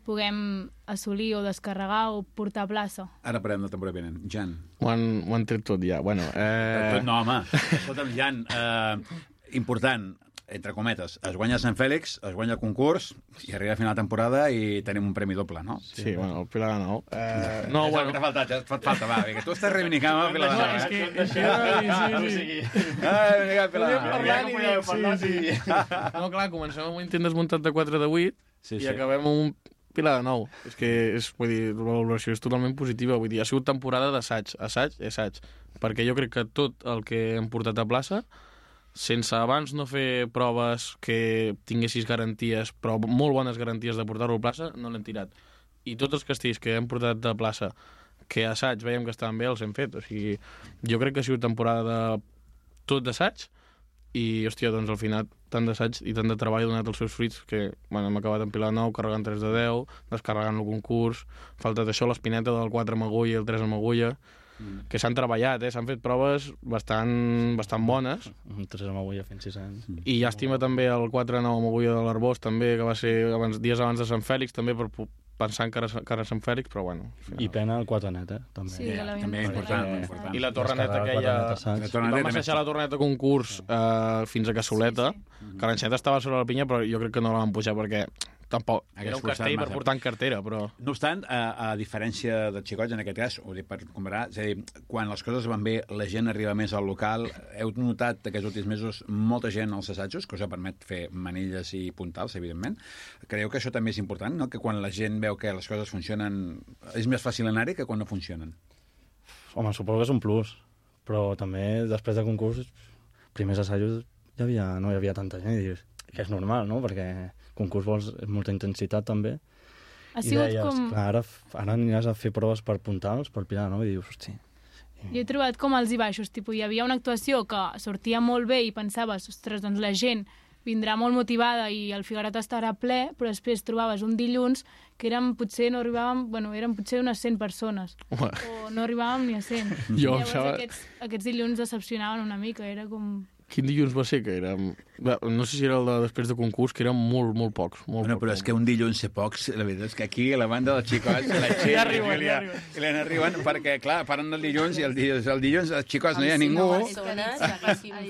puguem assolir o descarregar o portar a plaça. Ara parlem de temporada vinent. Jan. Ho han, ho han tret tot ja. Bueno, eh... Tot no, home. Escolta'm, Jan, eh, important, entre cometes, es guanya Sant Fèlix, es guanya el concurs i arriba a final de temporada i tenim un premi doble, no? Sí, bueno, el Pilar de Nou. Eh, no, és bueno... T'ha faltat, ja et falta, va, que tu estàs reivindicant el Pilar de Nou. És que... És que sí, sí, sí. Ah, vinga, Pilar de Nou. Parlant i dic, sí, sí. No, clar, comencem amb un intent desmuntat de quatre de vuit sí, i sí. acabem amb un Pilar de Nou. És que, és, vull dir, la valoració és totalment positiva. Vull dir, ha sigut temporada d'assaig, assaig i assaig. Perquè jo crec que tot el que hem portat a plaça, sense abans no fer proves que tinguessis garanties, però molt bones garanties de portar-lo a plaça, no l'hem tirat. I tots els castells que hem portat a plaça, que a assaig veiem que estaven bé, els hem fet. O sigui, jo crec que ha sigut temporada de tot d'assaig i, hòstia, doncs al final tant d'assaig i tant de treball ha donat els seus fruits que, bueno, hem acabat en Pilar de Nou, carregant tres de deu, descarregant el concurs, falta d'això l'espineta del quatre amb agulla i el tres amb agulla, mm. que s'han treballat, eh? S'han fet proves bastant, bastant bones. Un tres amb agulla fent sis anys. I llàstima també el quatre nou amb agulla de l'Arbós, també, que va ser abans, dies abans de Sant Fèlix, també per pensant que era, que era Sant Fèlix, però bueno. Final... I pena el quatre net, eh? També. Sí, ja, ja, també important, perquè... important. I la torreneta aquella... La torreneta vam assajar la torreneta concurs eh, fins a Cassoleta, Sí, sí. que l'enxeta estava sobre la pinya, però jo crec que no la van pujar perquè tampoc Hagués era un forçat castell per massa. portar en cartera, però... No obstant, a, a diferència dels xicots, en aquest cas, ho dic per comparar, és a dir, quan les coses van bé, la gent arriba més al local. Heu notat aquests últims mesos molta gent als assajos, que us permet fer manilles i puntals, evidentment. Creieu que això també és important, no? Que quan la gent veu que les coses funcionen, és més fàcil anar-hi que quan no funcionen? Home, suposo que és un plus, però també després del concurs, primers assajos, ja havia, no hi havia tanta gent, i dius que és normal, no? Perquè concurs vols molta intensitat també. Ha I sigut deies, com... clar, ara, ara aniràs a fer proves per puntals, per Pilar, no? I dius, hosti... Jo he trobat com alts i baixos, tipus, hi havia una actuació que sortia molt bé i pensaves, ostres, doncs la gent vindrà molt motivada i el Figueroa estarà ple, però després trobaves un dilluns que érem, potser no arribàvem, bueno, eren potser unes cent persones, Home. o no arribàvem ni a cent. Jo, I llavors sabe... aquests, aquests dilluns decepcionaven una mica, era com... Quin dilluns va ser? Que era... No sé si era el de després de concurs, que eren molt, molt pocs. Molt, Bueno, molt, però és que un dilluns ser pocs, la veritat és que aquí a la banda dels xicots, la Txell Ja i arriben, Júlia, ja arriben. i l'en arriben, perquè, clar, paren el dilluns i el dilluns, el dilluns els xicots no hi ha ningú.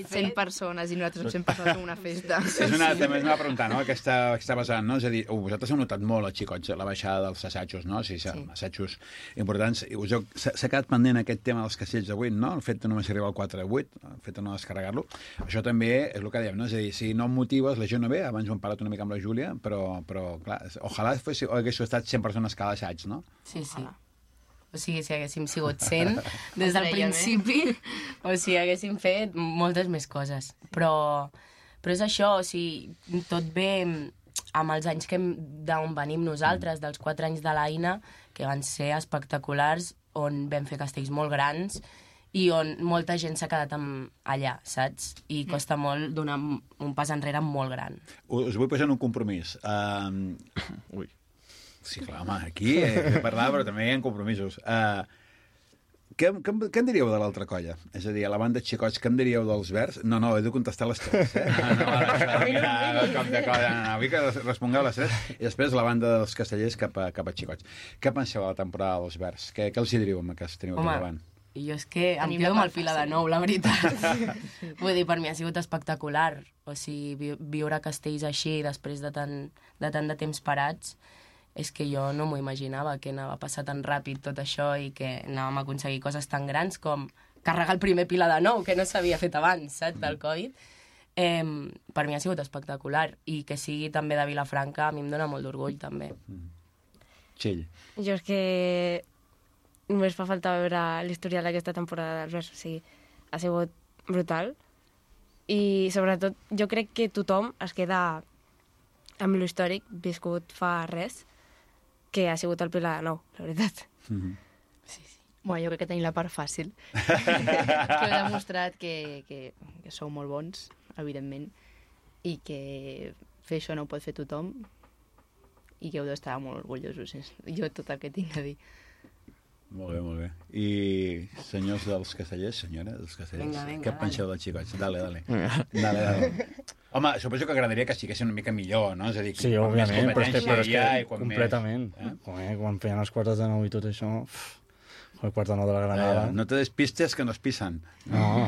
cent persones i nosaltres amb cent persones en una festa. És una, també és una pregunta, no?, que està, que està basant, no? És a dir, oh, vosaltres heu notat molt, els xicots, la baixada dels assajos, no? O sigui, sí. Assajos importants. I us heu, s'ha quedat pendent aquest tema dels castells de vuit, no? El fet de només arribar al quatre de vuit, el fet de no descarregar-lo. Això també és el que dèiem, no? És a dir, si no em motives, la gent no ve. Abans ho hem parlat una mica amb la Júlia, però, però clar, ojalà fos, hagués estat cent persones cada assaig, no? Sí, sí. O sigui, si haguéssim sigut cent des del principi, o sigui, haguéssim fet moltes més coses. Però, però és això, o sigui, tot ve amb els anys que d'on venim nosaltres, dels quatre anys de l'Aina, que van ser espectaculars, on vam fer castells molt grans, i on molta gent s'ha quedat amb allà, saps? I costa molt donar un pas enrere molt gran. Us vull posar en un compromís. Um... Ui. Sí, clar, home, aquí he de parlar, però també hi ha compromisos. Uh, Què, què, què en diríeu de l'altra colla? És a dir, a la banda de xicots, què en diríeu dels verds? No, no, he de contestar les tres, eh? No, no, això, mira, com de colla, no, no, vull que respongueu les tres. I després la banda dels castellers cap a, cap a xicots. Què penseu de la temporada dels verds? Què, què els hi diríeu amb aquest teniu aquí davant? Jo és que em quedo amb el fila de nou, la veritat. Vull dir, per mi ha sigut espectacular. O sigui, vi viure a Castells així, després de tant de, tant de temps parats, és que jo no m'ho imaginava, que anava a passar tan ràpid tot això i que anàvem a aconseguir coses tan grans com carregar el primer pila de nou, que no s'havia fet abans, saps, del Covid. Eh, per mi ha sigut espectacular. I que sigui també de Vilafranca, a mi em dóna molt d'orgull, també. Txell. Jo és que només fa falta veure l'historial d'aquesta temporada dels Verds, o sigui, ha sigut brutal. I, sobretot, jo crec que tothom es queda amb l'històric viscut fa res, que ha sigut el Pilar de Nou, la veritat. Mm-hmm. Sí, sí. Bueno, jo crec que tenim la part fàcil. Que heu demostrat que, que, que sou molt bons, evidentment, i que fer això no ho pot fer tothom i que heu d'estar molt orgullosos. És jo tot el que tinc a dir. Molt bé, molt bé. I senyors dels castellers, senyora, dels castellers, Vinga, vinga, què dale. penseu dels xicots? Dale, dale. Dale, dale. Home, suposo que agradaria que estiguessin una mica millor, no? És a dir, Sí, quan més òbviament, però és que, competència però és hi ha que i quan completament. més... Eh? Joder, quan feien els quarts de nou i tot això... Uf, el quart de nou de la Granada... Eh, no te despistes que no es pisen. No,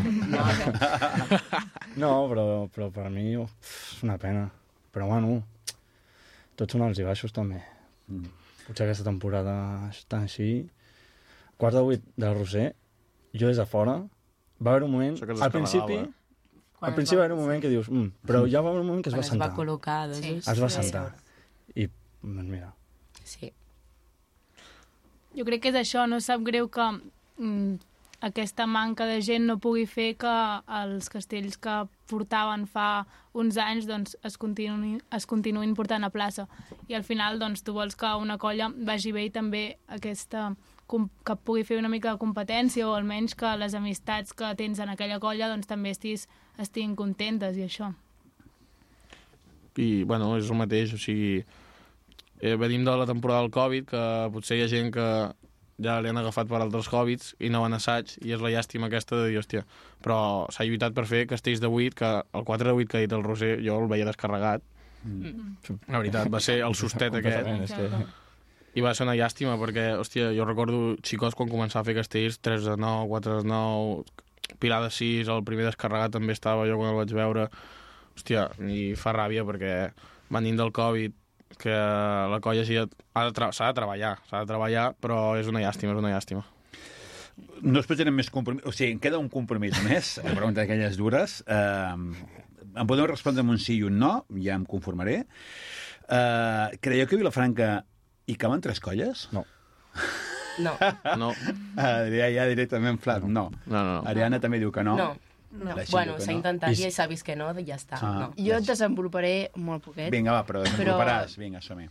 no però, però per mi uf, és una pena. Però bueno, tots són alts i baixos també. Mm. Potser aquesta temporada està així. Quart de vuit del Roser, jo des de fora, va haver un moment... Això que es Al principi, descarregava, Quan al es principi va- va haver un moment que dius... Mm, però ja va haver un moment que es Quan va es sentar. va col·locar, doncs... Sí. Es va Sí. sentar. I, doncs mira... Sí. Jo crec que és això, no sap greu que mm, aquesta manca de gent no pugui fer que els castells que portaven fa uns anys doncs, es, continuïn, es continuïn portant a plaça. I al final doncs, tu vols que una colla vagi bé i també aquesta, que pugui fer una mica de competència o almenys que les amistats que tens en aquella colla doncs, també estiguis, estiguin contentes i això. I, bueno, és el mateix, o sigui... Eh, venim de la temporada del Covid, que potser hi ha gent que ja li han agafat per altres Covids i no van a assaig, i és la llàstima aquesta de dir, hòstia, però s'ha lluitat per fer castells de vuit, que el quatre de vuit que ha dit el Roser, jo el veia descarregat. Mm. La veritat, va ser el sustet Completament, aquest. és que... I va ser una llàstima, perquè, hòstia, jo recordo xicos quan començava a fer castells, tres de nou, quatre de nou, Pilar de sis, el primer descarregat també estava jo quan el vaig veure. Hòstia, i fa ràbia perquè venint del Covid, que la colla s'ha de, tra de treballar, s'ha de treballar, però és una llàstima, és una llàstima. No es pretenen més compromís... O sigui, em queda un compromís més, la pregunta d'aquelles dures. Eh, em podeu respondre amb un sí i un no, ja em conformaré. Eh, creieu que a Vilafranca hi caben tres colles? No. No. No, Adrià ja directament flat, no. no, no. Ariana també diu que no. No. No. La Xil Bueno, diu que s'ha no. intentat I- i s'ha vist que no, i ja està. Ah. No. Jo et desenvoluparé molt poquet. Vinga, va, però desenvoluparàs. Vinga, som-hi.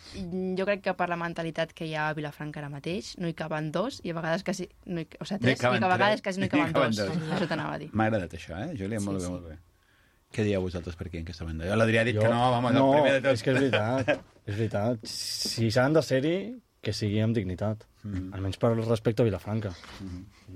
Jo crec que per la mentalitat que hi ha a Vilafranca ara mateix no hi caben dos i a vegades quasi... No hi, o sigui, No hi tres, caben i que a vegades tres. quasi no hi No hi caben caben dos. dos. Això t'anava a dir. M'ha agradat això, eh, Júlia? Molt Sí, bé, sí. molt bé. Què dieu vosaltres per aquí, en aquesta banda? Jo l'Adrià ha dit Jo- que no, vamos, no, el primer de tot. és que és veritat, és veritat. Si s'han de ser-hi, que sigui amb dignitat. Mhm. Almenys per respecte a Vilafranca.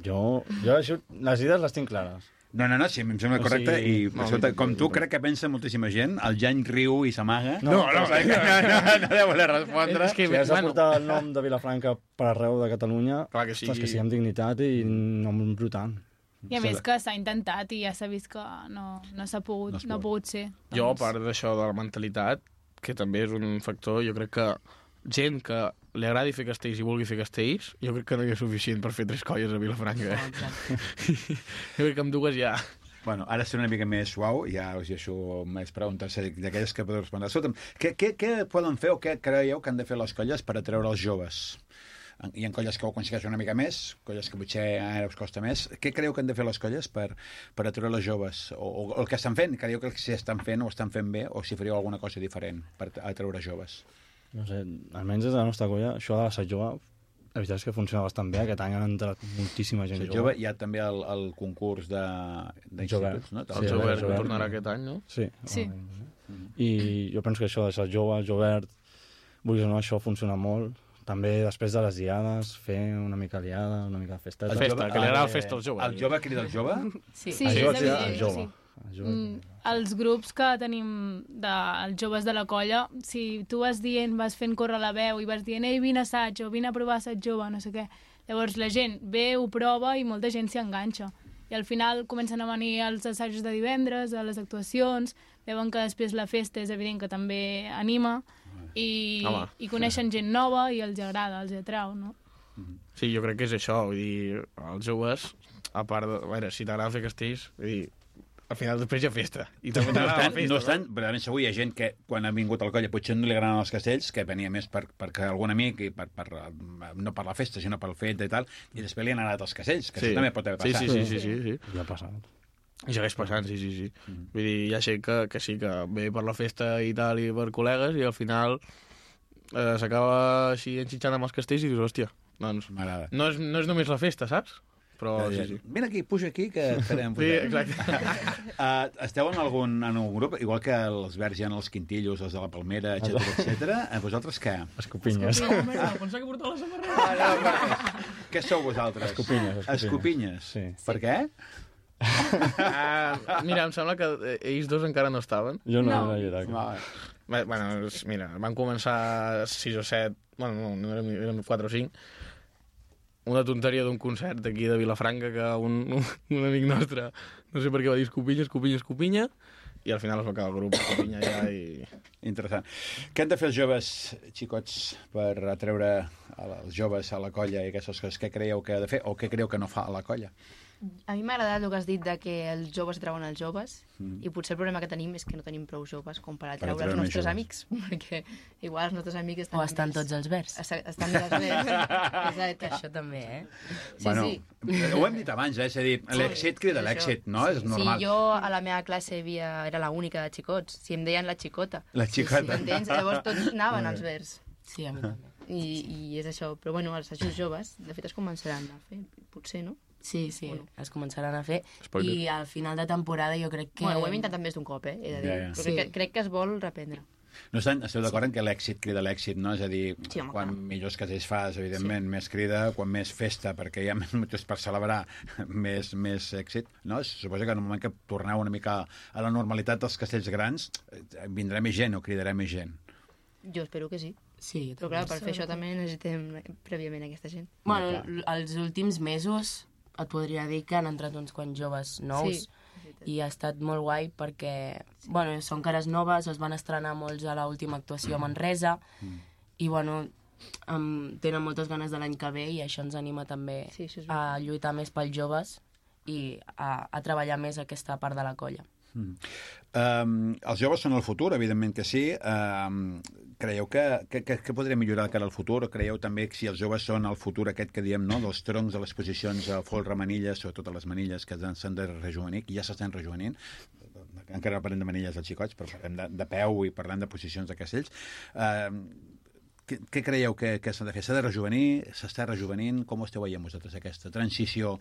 Jo, jo això, les idees les tinc clares. No, no, no, sí, em sembla O correcte. sigui, I, no, escolta, no, com tu, no. crec que pensa moltíssima gent. El Jany riu i s'amaga. No, no, no, no, no, no deu voler respondre. És que- Si has de bueno. portar el nom de Vilafranca per arreu de Catalunya, Clar que ostres, sigui- que sigui amb dignitat i no embrutant. I a més que s'ha intentat i ja s'ha vist que no, no s'ha pogut, No no, es no ha pot. pogut ser. Jo, a Doncs, part d'això de la mentalitat, que també és un factor, jo crec que gent que li agradi fer castells i vulgui fer castells, jo crec que no hi ha suficient per fer tres colles a Vilafranca. Eh? Jo crec que amb dues ja... Bueno, ara serà una mica més suau, ja us deixo més preguntes d'aquelles que podeu respondre. Escolta'm, què, què, què poden fer o què creieu que han de fer les colles per atreure els joves? Hi ha colles que ho aconsegueixen una mica més, colles que potser ara us costa més. Què creieu que han de fer les colles per, per atreure les joves? O, o, o el que estan fent? Creieu que si estan fent o estan fent bé o si faríeu alguna cosa diferent per atreure joves? No sé, almenys des de la nostra colla, això de la Sat Jove, la veritat és que funciona bastant bé. Aquest any han entrat moltíssima gent Si jove. jove, hi ha també el, el concurs de- d'instituts, no? El Sí, sí, Jovert, el Jovert. que tornarà aquest any, no? Sí. Sí. I jo penso que això de ser jove, el Jovert, vulguis o no, això funciona molt. també després de les diades, fer una mica liada, una mica festa. El festa, que li agrada el festa al jove. El jove crida el jove? Sí, Sí, és el jove crida evident, el jove. sí. El jove. Mm, els grups que tenim dels joves de la colla, si tu vas dient, vas fent córrer la veu i vas dient, ei, vine a assaig o vine a provar assaig jove, no sé què. Llavors la gent ve, ho prova i molta gent s'hi enganxa. I al final comencen a venir als assajos de divendres, a les actuacions, veuen que després la festa és evident que també anima i, Home. i coneixen gent nova i els agrada, els atrau, no? Sí, jo crec que és això, vull dir, els joves, a part de... A veure, si t'agrada fer castells, vull dir, al final després hi ha festa. I també No t'agrada la estan, festa. no estan, però ben segur hi ha gent que quan ha vingut al colla potser no li agraden els castells, que venia més per, perquè algun amic, i per, per, no per la festa, sinó pel fet i tal, i després li han agradat els castells, que Sí. això també pot haver Sí, passat. sí, sí, sí, sí, sí. Ja ha passat. I segueix passant, sí, sí, sí. Mm. Vull dir, hi ha gent que, que sí, que ve per la festa i tal, i per col·legues, i al final eh, s'acaba així enxitxant amb els castells i dius, hòstia, doncs M'agrada. no és, no és només la festa, saps? Però Sí, sí, sí. Vine aquí, puja aquí, que et farem Sí, pujar. exacte. Uh, esteu en algun, en algun grup, igual que els verds hi ha els quintillos, els de la Palmera, etcètera, etcètera. A vosaltres què? Escopinyes. Pensava que portava la samarreta. Ah, no, per... Què sou vosaltres? Escopinyes, escopinyes. Escopinyes. Sí. Per què? Ah, mira, em sembla que eh, ells dos encara no estaven. Jo no, No. no. era allà. Va. Bé, Bueno, és- mira, van començar sis o set, bueno, no, no érem, érem quatre o cinc, una tonteria d'un concert d'aquí de Vilafranca que un, un, un amic nostre, no sé per què va dir escopinya, escopinya, escopinya, i al final es va acabar el grup escopinya ja i... Interessant. Què han de fer els joves, xicots, per atreure els joves a la colla i aquestes coses? Què creieu que ha de fer o què creieu que no fa a la colla? A mi m'ha agradat el que has dit de que els joves treuen els joves Mm. i potser el problema que tenim és que no tenim prou joves com per atraure atreure els més nostres joves. amics, perquè igual els nostres amics estan... O estan més- tots els verds. Esta- Estan més verds. Exacte. Això també, eh? Sí, bueno, sí. ho hem dit abans, eh? És a dir, l'èxit crida És l'èxit, això. no? És normal. Sí, jo a la meva classe havia... era l'única de xicots. Si em deien la xicota. La xicota. M'entens? Llavors tots anaven als verds. Sí, a mi també. I, I és això. Però bueno, els assajos joves, de fet, es començaran a fer. Potser, no? Sí, sí, Bueno. es començaran a fer. Spoiler. I al final de temporada jo crec que... Bueno, ho hem intentat més d'un cop, eh? He de dir. Ja, ja. Però Sí. crec, que, crec que es vol reprendre. No estan, esteu d'acord en que l'èxit crida l'èxit, no? És a dir, Sí, home, quan clar. millors casells fas, evidentment, sí. més crida, quan més festa, perquè hi ha més motius per celebrar, més, més èxit, no? Suposo que en el moment que torneu una mica a la normalitat dels castells grans, eh, vindrà més gent o cridarà més gent. Jo espero que sí. Sí, jo Però també. clar, per fer això també necessitem prèviament aquesta gent. Bueno, Clar. l- els últims mesos et podria dir que han entrat uns quants joves nous Sí. i ha estat molt guai perquè, bueno, són cares noves, es van estrenar molts a l'última actuació a Manresa Mm. i, bueno, um, tenen moltes ganes de l'any que ve i això ens anima també Sí, això és a lluitar més pels joves i a, a treballar més aquesta part de la colla. Mm. Um, els joves són el futur, evidentment que sí. Um, creieu que, que, que, que podria millorar de cara al futur? O creieu també que si els joves són el futur aquest que diem, no?, dels troncs de les posicions a folre, manilles, sobretot a les manilles que s'han de rejuvenir, que ja s'estan rejuvenint, encara no parlem de manilles dels xicots, però parlem de, de peu i parlem de posicions de castells. Uh, què, què creieu que, que s'ha de fer? S'ha de rejuvenir? S'està rejuvenint? Com ho esteu veient vosaltres, aquesta transició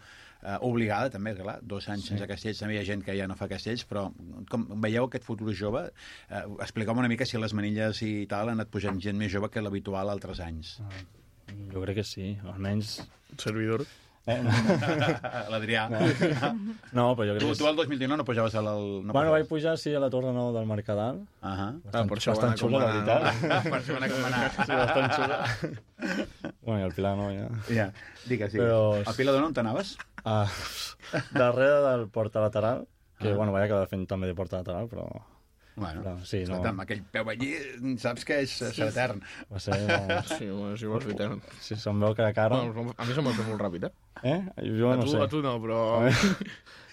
eh, obligada, també, clar, dos anys sí. sense castells, també hi ha gent que ja no fa castells, però com veieu aquest futur jove? Eh, Expliqueu-me una mica si les manilles i tal han anat pujant gent més jove que l'habitual altres anys. Jo crec que sí, almenys... Servidor. Eh? L'Adrià. No, però jo crec Tu, que tu el dos mil dinou no pujaves al... No bueno, pujaves. vaig pujar, sí, a la Torre Nou del Mercadal. Uh -huh. Ah, per això bastant van xula, la acomanar, veritat. Per això van acomanar. Sí, bastant xula. Bueno, i el Pilar no, ja. Ja, digues, digues. Però- A Pilar d'on on t'anaves? Ah, darrere del porta lateral, que, Ah. bueno, vaig acabar fent també de porta lateral, però Bueno, Clar, sí, no. escolta, amb aquell peu allí, saps que és, és etern. va ser... No, Sí, bueno, si vols fer tant. si se'm veu que de cara... Bueno, a mi se'm va fer molt ràpid, eh? Eh? Jo a, no tu, sé. a tu no, però... A mi,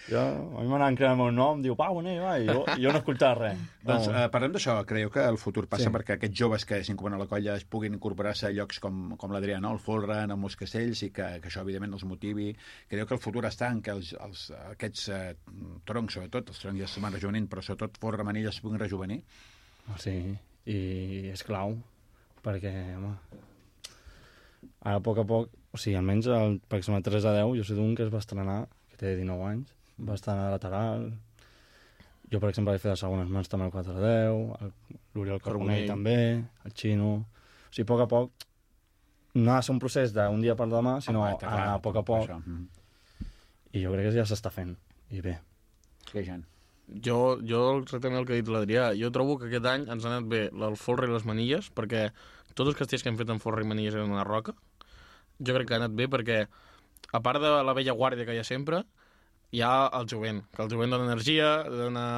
jo, a mi m'anaven cridant el meu nom, diu, Pau, anem, va, i jo, i jo no escoltava res. Doncs No. eh, parlem d'això. Creieu que el futur passa Sí. perquè aquests joves que s'incorporen a la colla es puguin incorporar-se a llocs com, com l'Adrià, no? El Folre, en els castells, i que, que això, evidentment, els motivi. Creieu que el futur està en que els, els, aquests eh, troncs, sobretot, els troncs ja es van rejuvenint, però sobretot Folre, Manilles, es puguin rejuvenir? Sí, i és clau, perquè, home, ara a poc a poc, o sigui, almenys, el, per exemple, tres a deu, jo sé d'un que es va estrenar, que té dinou anys, va estar a lateral, jo, per exemple, vaig fer les segones mans també al quatre a deu, el- l'Oriol Carbonell Carbonell. també, el Xino... O sigui, a poc a poc no ha de ser un procés d'un dia per demà, sinó Home, està clar, a poc a poc. això. Mm. I jo crec que ja s'està fent. I bé. Sí, Jan. Jo, jo exactament el que ha dit l'Adrià, jo trobo que aquest any ens ha anat bé el folre i les manilles, perquè tots els castells que hem fet amb folre i manilles eren una roca. Jo crec que ha anat bé perquè, a part de la vella guàrdia que hi ha sempre, hi ha el jovent, que el jovent dona energia, dona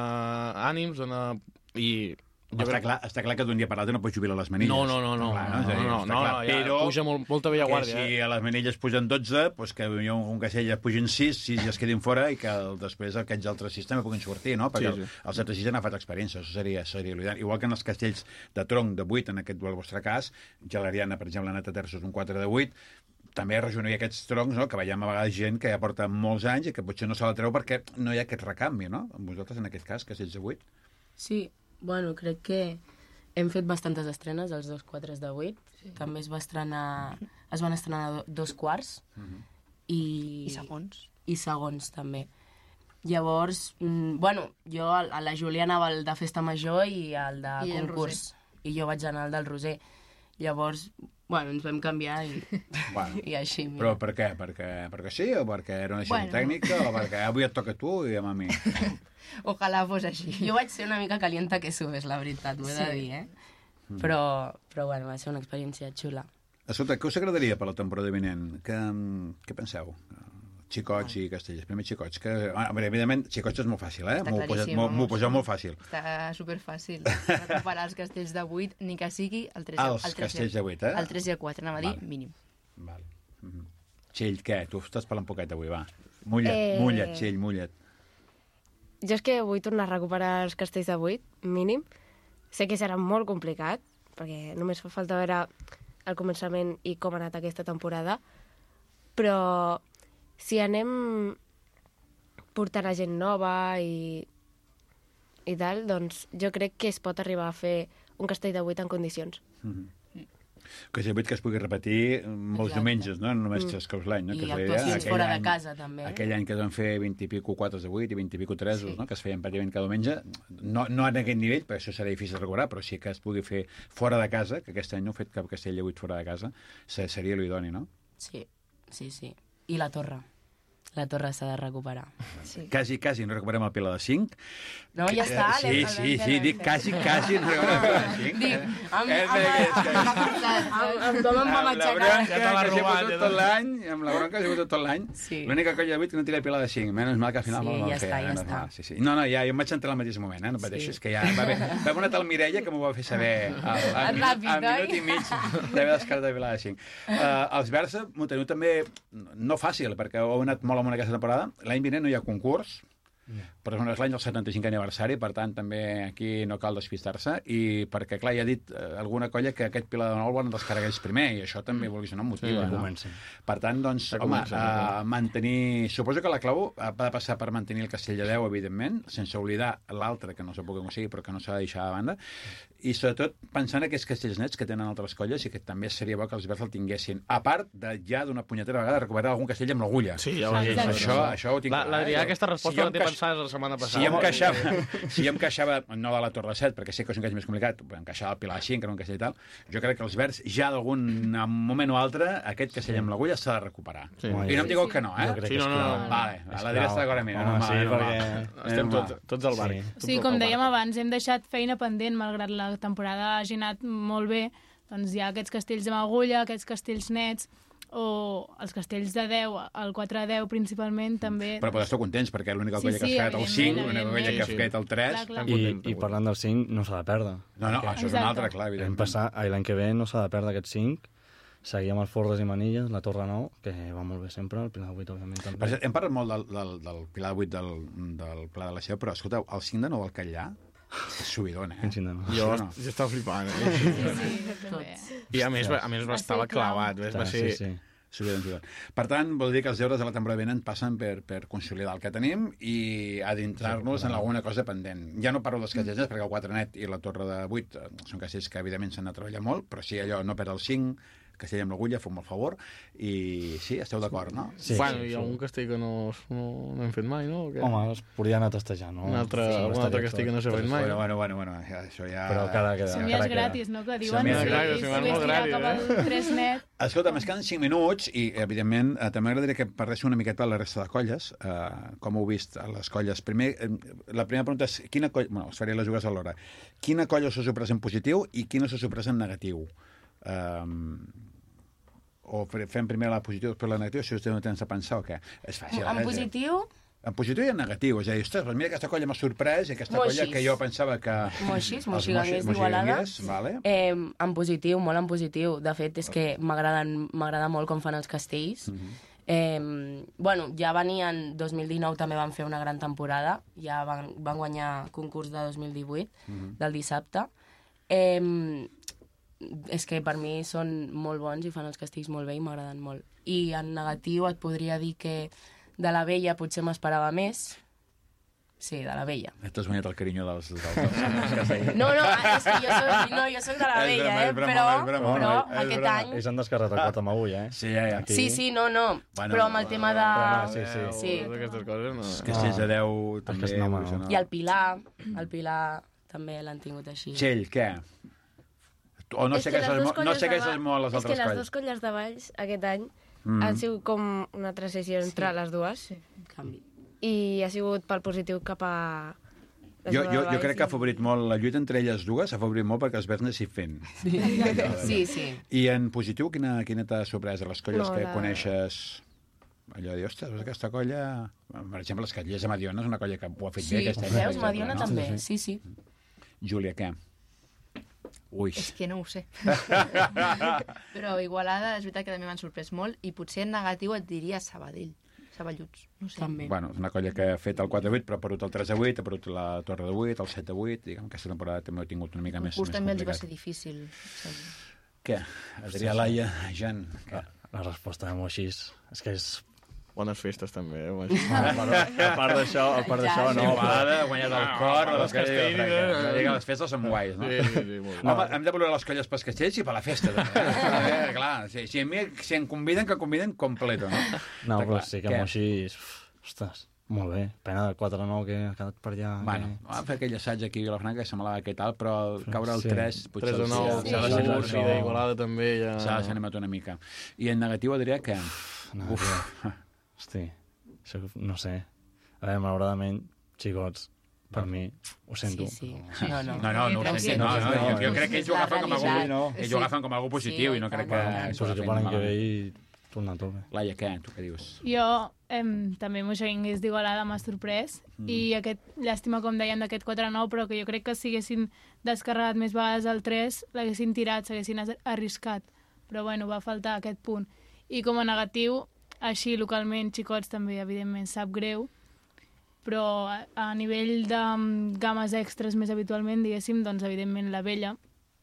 ànims, dona... I Jo està, crec... clar, està clar que d'un dia per l'altre no pots jubilar les manilles. No, no, no, no, clar, no, no, no, no, no, ja però puja molt, molta vella guàrdia. Que si a les manilles pugen dotze, doncs que un, un castell ja pugin sis, sis ja es quedin fora i que el, després aquests altres sis també puguin sortir, no? Perquè sí, sí. els altres sis han agafat experiència, això seria, seria l'ideal. Igual que en els castells de tronc de vuit, en aquest el vostre cas, Gelariana, per exemple, ha anat a terços un quatre de vuit, també rejonuir aquests troncs, no? Que veiem a vegades gent que ja porta molts anys i que potser no se la treu perquè no hi ha aquest recanvi, no? Amb vosaltres, en aquest cas, castells de vuit. Sí, bueno, crec que hem fet bastantes estrenes, els dos quatres de vuit. Sí. També es va estrenar... Es van estrenar dos quarts. Uh-huh. i... I segons. I segons, també. Llavors, mm, bueno, jo a la Júlia anava al de Festa Major i al de I concurs. I jo vaig anar al del Roser. Llavors, bueno, ens vam canviar i, bueno, i així. Mira. Però per què? Perquè, perquè sí o perquè era una decisió bueno. tècnica o perquè avui et toca a tu i a mi? Ojalà fos així. Jo vaig ser una mica calienta que subes, la veritat, ho he sí. de dir, eh? Mm. Però, però bueno, va ser una experiència xula. Escolta, què us agradaria per la temporada vinent? Què, què penseu? Xicots i castellers. Primer xicots. Que, ah, evidentment, xicots és molt fàcil, eh? M'ho poseu molt, poseu molt fàcil. Està superfàcil. Recuperar els castells de vuit, ni que sigui el tres, els el tres, castells de vuit, eh? El tres i el quatre, anava a dir, vale. mínim. Val. Mm-hmm. Txell, què? Tu estàs parlant poquet avui, va. Mulla't, eh... mulla't, Txell, mulla't. Jo és que vull tornar a recuperar els castells de vuit, mínim. Sé que serà molt complicat, perquè només fa falta veure el començament i com ha anat aquesta temporada, però si anem portant a gent nova i, i tal, doncs jo crec que es pot arribar a fer un castell de vuit en condicions. Mm-hmm. Que és que es pugui repetir molts Exacte. diumenges, no? No només tres cops l'any. No? I que actuacions fora any, de casa, també. Aquell any que es van fer vint i pico quatres de vuit i vint i pico tresos, sí. no? Que es feien pràcticament cada diumenge. No, no en aquest nivell, perquè això serà difícil de recuperar, però sí que es pugui fer fora de casa, que aquest any no heu fet cap castell de vuit fora de casa, seria l'idoni, no? Sí, sí, sí. I la torre. La torre s'ha de recuperar. Sí. Quasi, quasi, no recuperem el Pilar de cinc. No, ja està. Eh, sí, sí, sí, dic quasi, quasi no recuperem el Pilar de cinc. Dic, amb com em va matxacar. Ja te l'ha robat. Tot l'any, amb la bronca ha sigut tot l'any. L'única colla de vuit que no tira el Pilar de cinc. Menys mal que al final sí, no ja fer. Està, ja no, està. Sí, sí. No, no, ja, jo em vaig entrar al mateix moment, eh? No pateixis, sí. que ja va bé. Va haver una tal Mireia que m'ho va fer saber al, al, minut, al minut i mig d'haver descartat el Pilar de cinc. Uh, els Versa m'ho teniu també no fàcil, perquè heu anat molt amunt aquesta temporada. L'any vinent no hi ha concurs, yeah. però és l'any del setanta-cinquè aniversari, per tant, també aquí no cal despistar-se, i perquè, clar, ja ha dit eh, alguna colla que aquest Pilar de Nou el volen descarregar ells primer, i això també, vulguis o no, motiva, sí, no? Per tant, doncs, ja home, comença, uh, mantenir... Suposo que la clau ha de passar per mantenir el castell de deu, evidentment, sense oblidar l'altre, que no sé com sigui, però que no s'ha de deixar de banda, i sobretot pensant en aquests castells nets que tenen altres colles i que també seria bo que els Verds el tinguessin, a part de ja d'una punyetera vegada recuperar algun castell amb l'agulla. Sí, ja ho he dit. Això, això ho tinc clar. L'Adrià, aquesta resposta si la té pensada la setmana passada. Si em queixava, si em queixava, no de la Torre set, perquè sé que és un castell més complicat, em queixava el Pilar cinc, que era un castell i tal, jo crec que els Verds ja d'algun moment o altre, aquest castell amb l'agulla s'ha de recuperar. Sí. I no em digueu que no, eh? Sí, no, no, no. Vale, l'Adrià està d'acord amb mi. No, sí, perquè estem tots al barri. Sí, com dèiem abans, hem deixat feina pendent, malgrat la temporada hagi anat molt bé, doncs hi ha aquests castells amb agulla, aquests castells nets, o els castells de deu, el quatre a deu principalment, també... Però podeu estar contents, perquè l'única colla sí, que sí, has fet el cinc, l'única colla que has sí. fet el tres... Clar, clar. I, I parlant del cinc, no s'ha de perdre. No, no, això és un altre, clar, evidentment. L'any que ve no s'ha de perdre aquest cinc, seguir amb els Forres i Manilles, la Torre nou, que va molt bé sempre, el Pilar de vuit, òbviament, també. Per hem parlat molt del, del, del Pilar de vuit del, del Pla de la Seu, però, escolteu, el cinc de nou al Catllà, és subidona, eh? Jo, no. jo estava flipant, eh? Sí, sí, sí, I a més, a més va estava clavat. Va ser... Sí, sí. Subidon, subidon. Per tant, vol dir que els deures de la temporada vinent passen per, per consolidar el que tenim i adentrar-nos en alguna cosa pendent. Ja no parlo dels castells, perquè el quatre net i la Torre de vuit són castells que evidentment s'han de treballar molt, però sí allò, no perdre el cinc, castell amb l'agulla, feu-me el favor, i sí, esteu d'acord, no? Sí, bueno, sí, hi sí. ha algun castell que no, no, no hem fet mai, no? O què? Home, es podria anar a testejar, no? Un altre, Sí, algun estaria altre castell que no s'ha fet mai. Bueno, bueno, bueno, bueno ja, això ja... Però encara queda. Som encara ja queda. gratis, no? Que diuen Som ja si, gratis, si som molt més tirar gratis, cap al tres net. Escolta, més queden cinc minuts i, evidentment, eh, també m'agradaria que parléssiu una miqueta de la resta de colles, eh, com heu vist a les colles. Primer, eh, la primera pregunta és, quina colla... Bueno, us faré les dues alhora. Quina colla us ha sorprès en positiu i quina us ha sorprès en negatiu? Um, o fem primer la positiva, després la negativa, si us teniu temps de pensar o què? És fàcil. En eh? positiu, En positiu i en negatiu. És a dir, ostres, doncs mira, aquesta colla m'ha sorprès i aquesta Moixis. colla que jo pensava que... Moixis, Els moxiganguers moixi- d'Igualada. moxiganguers, vale. Eh, en positiu, molt en positiu. De fet, és que m'agraden m'agrada molt com fan els castells. Mhm. eh, bueno, ja venien... dos mil dinou també van fer una gran temporada. Ja van, van guanyar concurs de dos mil divuit, Mhm. del dissabte. Eh, és que per mi són molt bons i fan els castells molt bé i m'agraden molt. I en negatiu et podria dir que de la vella potser m'esperava més. Sí, de la vella. T'has guanyat el carinyo dels... dels, dels castells. No, no, és que jo soc, no, jo soc de la És vella, broma, eh? és broma, però, és broma, però és aquest broma. any... Ells han descarregat el quatre amb agulla, eh? Sí, ja, ja. Aquí. Sí, sí, no, no, Bueno, però amb el tema de... Però no, sí, sí. Sí. Totes aquestes coses no... Els castells de deu també... que no, no. això I el Pilar, el Pilar també l'han tingut així. Txell, què? O no És que segueixes les el, dues mo- no colles segueixes de Ba- molt les És altres que les colles? dues colles de Valls aquest any Mm. han sigut com una transició entre les dues Sí, canvi. i ha sigut pel positiu cap a... la Jo, zona de jo, jo Valls crec que ha i- afavorit molt la lluita entre elles dues, ha afavorit molt perquè els verds anessin fent. Sí, sí. I en positiu, quina, quina t'ha sorprès de les colles No, que la- coneixes? Allò de dir, ostres, veus aquesta colla... Per exemple, les Catllers de Mediona és una colla que ho ha fet Sí, bé aquest any. per veus, exemple, Mediona no? també, sí, sí. Júlia, què? Ui. És que no ho sé. Però Igualada és veritat que també m'han sorprès molt i potser en negatiu et diria Sabadell. Saballuts, no sé. També. Bueno, és una colla que ha fet el quatre a vuit, però ha perdut el tres a vuit, ha perdut la Torre de vuit, el set a vuit, diguem que aquesta temporada també ho ha tingut una mica El més, curs més també els va complicat. ser difícil. Sí. Què? Adrià, Laia, Jan, què? La, la resposta de Moixis és que és... Bones festes, també. Eh? A part, a part d'això, a part d'això, No, no. Igualada ha guanyat el cor de les els castells, castells. eh? Les festes són guais, no? Sí, sí, sí, molt bé. Home, hem de valorar les colles pels castells i per la festa, també. Eh, clar, si, si, a mi, si em conviden, que conviden completo, no? No, Està però clar. sí que Què? Moixis... Ostres, molt bé. Pena del quatre nou que ha quedat per allà. Bueno, que... vam fer aquell assaig aquí a Vilafranca que semblava que tal, però al caure el Sí. tres, potser tres a nou, s'ha s'ha s'ha de deixat- ser d'Igualada també. Ja... s'ha desanimat una mica. I en negatiu, Adrià, què? No, Uf. Hosti, això, no sé. A veure, malauradament, xicots, per mi, ho sento. Sí, sí. No, no. No, no, no, ho sé, no, no, no, jo, jo crec que ells ho La agafen com a realitat. algú, ells ho agafen com a algú positiu Sí, i no crec tant, que... tant. s'ho Positiu agafin per l'any que ve malament. i tornar a tope. Laia, què? Tu què dius? Jo em, també moixenguers d'Igualada m'ha sorprès mm. i aquest, llàstima, com dèiem, d'aquest quatre a nou, però que jo crec que si haguessin descarregat més vegades el tres, l'haguessin tirat, s'haguessin as- arriscat. Però bueno, va faltar aquest punt. I com a negatiu, així localment, xicots també, evidentment, sap greu, però a, a nivell de mm, games extres més habitualment, diguéssim, doncs evidentment la vella,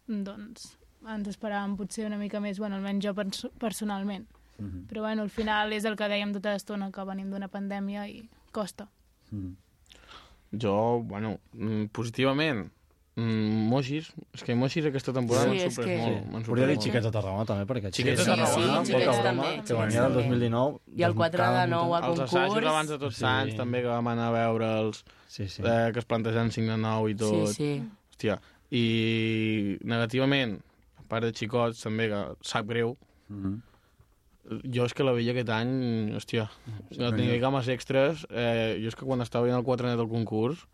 doncs ens esperàvem potser una mica més, bueno, almenys jo pers personalment. Mm -hmm. Però bueno, al final és el que dèiem tota l'estona, que venim d'una pandèmia i costa. Mm -hmm. Jo, bueno, mm, positivament, mm, Moixis, és que Moixis aquesta temporada Sí, m'han és sorprès que- molt. m'han Podria sorprès dir molt. xiquets de Tarragona, també, perquè Xiquets de Xiquets Tarragona, sí, poca xiquets broma, també, que venia del dos mil dinou. I el quatre de nou a Els concurs. assajos abans de tots Sí. Sants, també, que vam anar a veure'ls, Sí, sí. eh, que es plantejaven cinc de nou i tot. Sí, sí. Hòstia, i negativament, a part de xicots, també, que sap greu, Mm -hmm. jo és que la veia aquest any, hòstia, no tenia games extres, eh, jo és que quan estava veient el quatre net del concurs,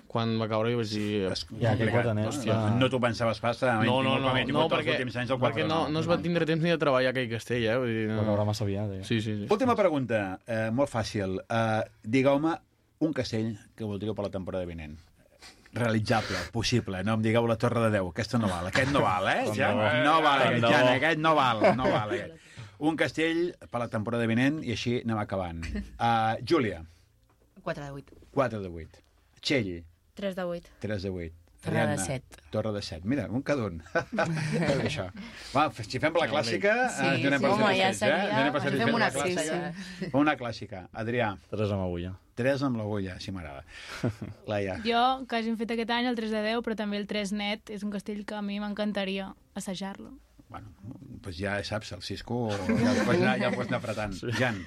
quan va caure jo vaig dir... Ja, aquell quatre net, Hòstia, ja. no t'ho pensaves pas, no, No, no, no, com he no, tingut els perquè, últims anys el perquè quatre no, no es va tindre temps ni de treballar aquell castell, eh? Vull dir, Va caure no. massa aviat, eh? Sí, sí, sí. Última pregunta, eh, molt fàcil. Eh, Digueu-me un castell que voldríeu per la temporada vinent. Realitzable, possible. No em digueu la Torre de Déu. Aquesta no val. Aquest no val, eh? Ja, no val, aquest, Jan, aquest no val. No val, aquest. Un castell per la temporada vinent i així anem acabant. Uh, Júlia, quatre de vuit. quatre de vuit. Txell, tres de vuit. tres de vuit. Torre de Ariadna, set. Torre de set. Mira, un cada un. Bé, això. Va, si fem la clàssica, Sí, ens donem sí. per Home, ja satisfets, seria- eh? Donem per Fem satisfets una la clàssica. clàssica. Una clàssica. Adrià, Tres amb agulla. tres amb l'agulla, si m'agrada. Laia. Jo, que hagin fet aquest any el tres de deu, però també el tres net, és un castell que a mi m'encantaria assajar-lo. Bueno, pues ja saps, el Cisco ja el pots anar, ja el pots anar apretant. Sí. Jan.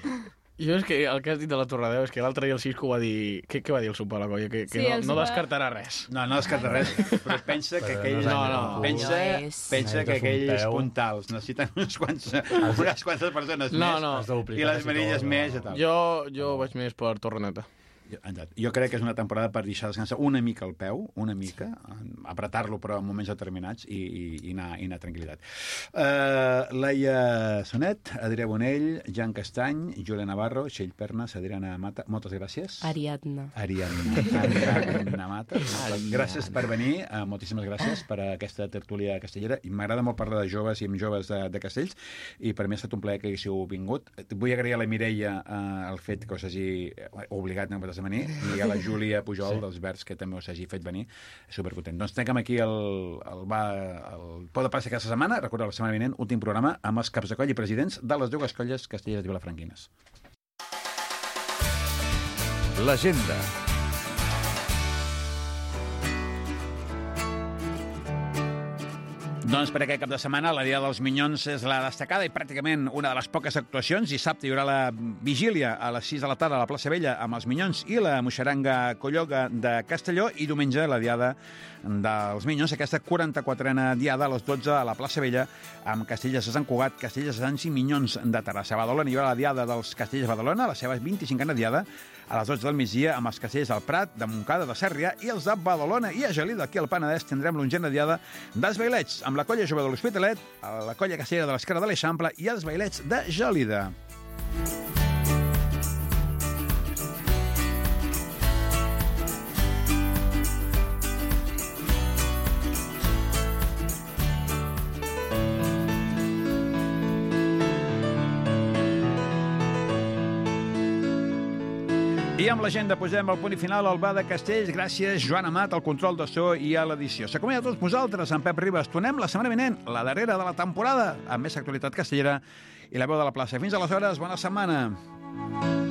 Jo és que el que has dit de la Torradeu és que l'altre dia el Cisco va dir... Què, què va dir el sopar a la colla? Que, que Sí, no, el no sopar- descartarà res. No, no descarta res, però pensa que Però aquells... no No, no, pensa, no és- pensa que Necessites un aquells peu. puntals necessiten uns quants, unes quantes persones No, més no. Has de duplicar i les quasi manilles tot, no? més i tal. Jo, jo vaig més per Torreneta. Jo, exacte. Jo crec que és una temporada per deixar descansar una mica el peu, una mica, apretar-lo però en moments determinats i, i, i, anar, i anar tranquil·litat. Uh, Laia Sonet, Adrià Bonell, Jan Castany, Julia Navarro, Txell Pernas, Adriana Mata, moltes gràcies. Ariadna. Ariadna, Ariadna Mata. Gràcies per venir, uh, moltíssimes gràcies per aquesta tertúlia castellera. I m'agrada molt parlar de joves i amb joves de, de Castells, i per mi ha estat un plaer que haguéssiu vingut. Vull agrair a la Mireia uh, el fet que us hagi obligat a de venir, i a la Júlia Pujol sí. dels Verds, que també us hagi fet venir. Superpotent. Doncs tanquem aquí el, el, va, el Pot de Plaça aquesta setmana. Recordeu, la setmana vinent, últim programa amb els caps de coll i presidents de les dues colles castelleres i vilafranquines. L'agenda. Doncs per aquest cap de setmana la Dia dels Minyons és la destacada i pràcticament una de les poques actuacions. Dissabte hi haurà la vigília a les sis de la tarda a la plaça Vella amb els Minyons i la moixeranga Colloga de Castelló, i diumenge la Diada dels Minyons, aquesta quaranta-quatrena Diada a les dotze a la plaça Vella amb Castellers de Sant Cugat, Castellers de Sants i Minyons de Terrassa. A Badalona hi haurà la Diada dels Castellers de Badalona, la seva vint-i-cinquena Diada, a les dotze del migdia amb els castellers del Prat, de Montcada, de Sarrià i els de Badalona. I a Gelida, aquí al Penedès, tindrem l'onzena Diada dels Bailets, amb la colla jove de l'Hospitalet, la colla castellera de l'Esquerra de l'Eixample i els Bailets de Gelida. I amb l'agenda posem el punt i final al Bar de Castells. Gràcies, Joan Amat, al control de so i a l'edició. S'acomiada a tots vosaltres, en Pep Ribas. Tornem la setmana vinent, la darrera de la temporada, amb més actualitat castellera i la veu de la plaça. Fins aleshores, bona setmana.